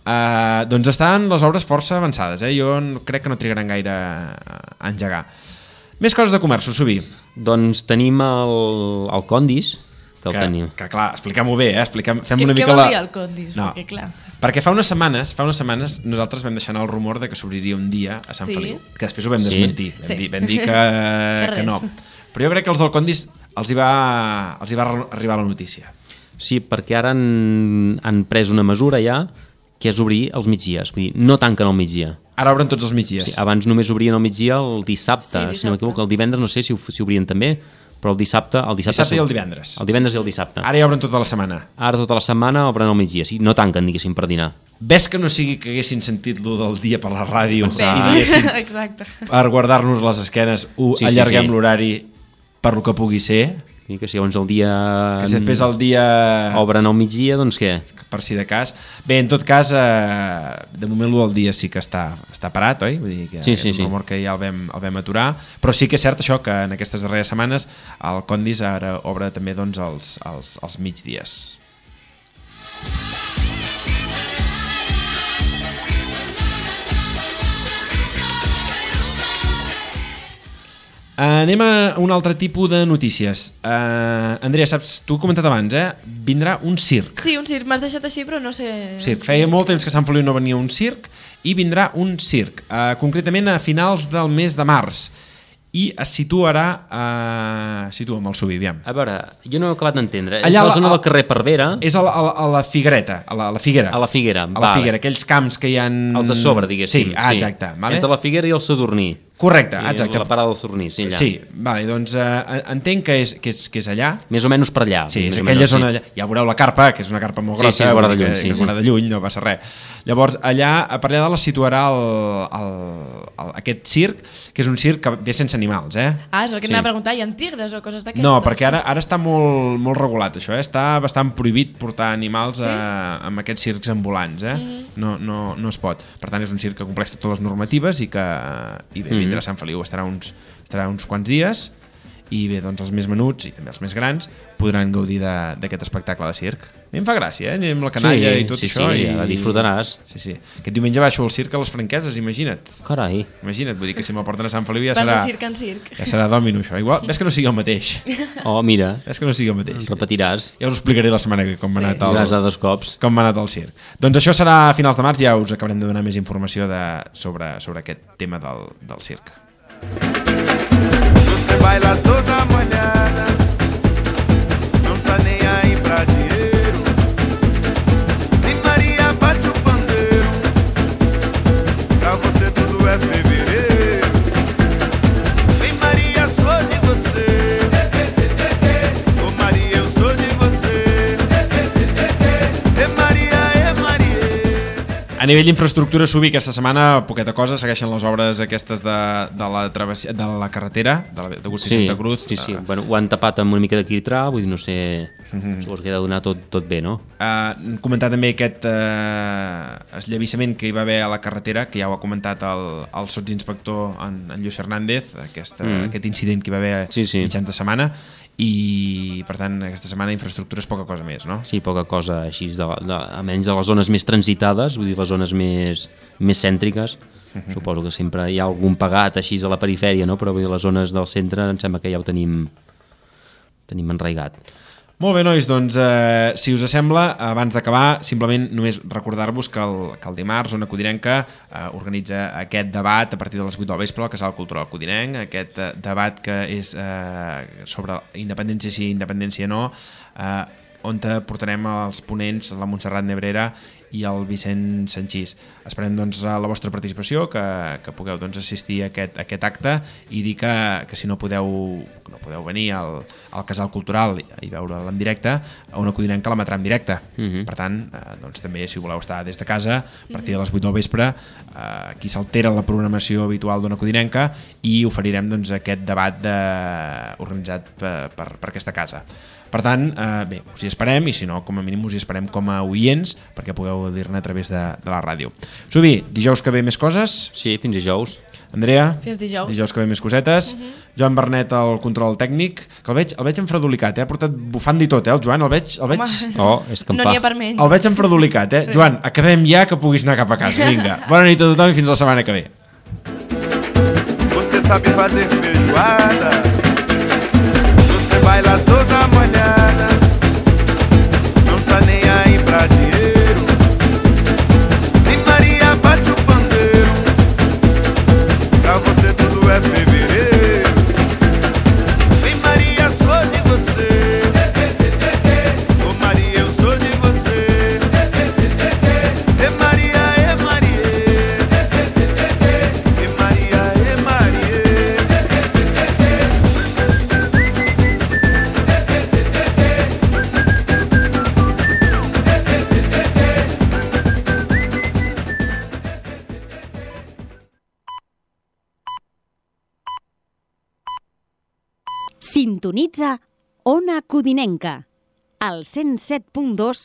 Uh, doncs estan les obres força avançades, eh? Jo no- crec que no trigaran gaire a engegar. Més coses de comerços, Subi. Doncs tenim el, el Condis, que el Que, tenim. que clar, expliquem-ho bé, eh? Expliquem, fem Què, una què mica vol la... dir el Condis? No. Perquè, clar... Perquè fa unes setmanes, fa unes setmanes nosaltres vam deixar anar el rumor de que s'obriria un dia a Sant Sí. Feliu, que després ho vam Sí. desmentir, vam, Sí. dir, vam dir que, Que que res. no. Però jo crec que els del Condis els hi va, els hi va arribar la notícia. Sí, perquè ara han, han pres una mesura ja, que és obrir els migdies. Vull dir, no tanquen al migdia. Ara obren tots els migdies. Sí, abans només obrien al migdia el dissabte, Sí, dissabte. si no m'equivoco. El divendres no sé si, si obrien també, però el dissabte... El dissabte, Dissabte i el divendres. El divendres i el dissabte. Ara ja obren tota la setmana. Ara tota la setmana obren al migdia, sí, no tanquen, diguéssim, per dinar. Ves que no sigui que haguessin sentit lo del dia per la ràdio Bé, i diguessin, exacte. per guardar-nos les esquenes, ho Sí, sí, allarguem sí. l'horari per lo que pugui ser, I que si llavors el dia... que si després el dia... Obren al migdia, doncs què? per si de cas. Bé, en tot cas, eh, de moment lo del dia sí que està, està parat, oi? Vull dir que Sí, és sí, un sí. rumor que ja el vam, el vam aturar, però sí que és cert això, que en aquestes darreres setmanes el Condis ara obre també doncs, els, els, els migdies. Anem a un altre tipus de notícies. Uh, Andrea, saps, tu ho he comentat abans, eh? Vindrà un circ. Sí, un circ. M'has deixat així, però no sé... Circ. Feia molt temps que a Sant Feliu no venia un circ i vindrà un circ, uh, concretament a finals del mes de març. I es situarà... Uh, situa'm el Subi, aviam. A veure, jo no he acabat d'entendre. És Allà a la la- zona a- del carrer Parvera, És a la, a la, a la Figuereta, a la, a la Figuera. a la Figuera. A la vale. Figuera, aquells camps que hi ha... Els de sobre, diguéssim. Sí, ah, exacte. Vale? Entre la Figuera i el Sadurní. Correcte, I exacte. La parada del Sadurní, sí, allà. Sí, vale, doncs uh, entenc que és, que, és, que és allà. Més o menys per allà. Sí, més és o aquella menys, zona sí. allà. Ja veureu la carpa, que és una carpa molt Sí, grossa. sí, es veurà de vull dir lluny, que, sí, que es sí. veurà de lluny, no passa res. Llavors, allà, per allà dalt es situarà el, el, el, aquest circ, que és un circ que ve sense animals, eh? Ah, és el que Sí. sí. anava a preguntar. Hi ha tigres o coses d'aquestes? No, perquè ara, ara està molt, molt regulat això, eh? Està bastant prohibit portar animals Sí? a, amb aquests circs ambulants, eh? Mm. No, no, no es pot. Per tant, és un circ que compleix totes les normatives i que i bé, vindrà a Sant Feliu, estarà uns, estarà uns quants dies i bé, doncs els més menuts i també els més grans podran gaudir de- d'aquest espectacle de circ. A mi em fa gràcia, eh? Amb la canalla Sí, i tot sí, això. sí, i la disfrutaràs. Sí, sí. Aquest diumenge baixo al circ a les Franqueses, imagina't. Carai. Imagina't, vull dir que si me'l porten a Sant Feliu ja Vas serà... de circ en circ. Ja serà dòmino, això. Igual, ves que no sigui el mateix. Oh, mira, Ves que no sigui el mateix. repetiràs. Ja us ho explicaré la setmana que com m'ha Sí. anat, Diràs el, a dos cops. com m'ha anat el circ. Doncs això serà a finals de març, ja us acabarem de donar més informació de, sobre, sobre aquest tema del, del circ. Você baila toda molhada, não tá nem aí pra dinheiro. Nem Maria bate o pandeiro, pra você tudo é fevereiro. Vem Maria, sou de você. Ô Maria, eu sou de você. É Maria, é Maria. A nivell d'infraestructura, Subi, aquesta setmana, poqueta cosa, segueixen les obres aquestes de, de, la, travessia, de la carretera, de, la, de Agustí Sí, Santa Cruz. sí, sí. Eh, Bueno, ho han tapat amb una mica de quitrà, vull dir, no sé... Mhm. Suposo que ha de donar tot, tot bé, no? Uh, comentar també aquest uh, esllavissament que hi va haver a la carretera, que ja ho ha comentat el, el sotsinspector en, en Lluís Fernández, aquesta, Mm. aquest incident que hi va haver Sí, sí. mitjans de setmana, i per tant aquesta setmana infraestructura és poca cosa més, no? Sí, poca cosa així, de, de, a menys de les zones més transitades, vull dir, les zones més, més cèntriques. Mhm. Suposo que sempre hi ha algun pagat així a la perifèria, no? Però vull dir, les zones del centre em sembla que ja ho tenim, tenim enraigat. Molt bé, nois, doncs eh, si us sembla, abans d'acabar, simplement només recordar-vos que el, que el dimarts Ona Codinenca eh, organitza aquest debat a partir de les vuit del vespre al Casal Cultural Codinenc, aquest eh, debat que és eh, sobre independència sí, independència no, eh, on portarem els ponents, la Montserrat Nebrera i el Vicent Sanchís. Esperem doncs la vostra participació, que, que pugueu doncs, assistir a aquest, a aquest acte i dir que, que si no podeu, no podeu venir al, al Casal Cultural i, i veure'l en directe, a Ona Codinenca la emetrà en directe. Mhm. Per tant, eh, doncs, també si voleu estar des de casa, a partir de les vuit del vespre, eh, aquí s'altera la programació habitual d'Ona Codinenca i oferirem doncs, aquest debat de, organitzat per, per, per aquesta casa. Per tant, eh, bé, us hi esperem i si no, com a mínim us hi esperem com a oients perquè pugueu dir-ne a través de, de la ràdio. Subi, dijous que ve més coses. Sí, fins dijous. Andrea, Fins dijous. dijous que ve més cosetes. Uh -huh. Joan Bernet, el control tècnic, que el veig, el veig enfredolicat, eh? Ha portat bufanda i tot, eh, el Joan, el veig... El veig... Home. Oh, és que em No fa... n'hi ha per menys. El veig enfredolicat, eh? Sí. Joan, acabem ja que puguis anar cap a casa, vinga. Bona nit a tothom i fins la setmana que ve. Você sabe fazer feijoada, você baila toda molhada, não tá nem aí pra dinheiro. Nem Maria bate o pandeiro, pra você tudo é fevereiro. Vem Maria, sou de você. Sintonitza Ona Codinenca, al cent set punt dos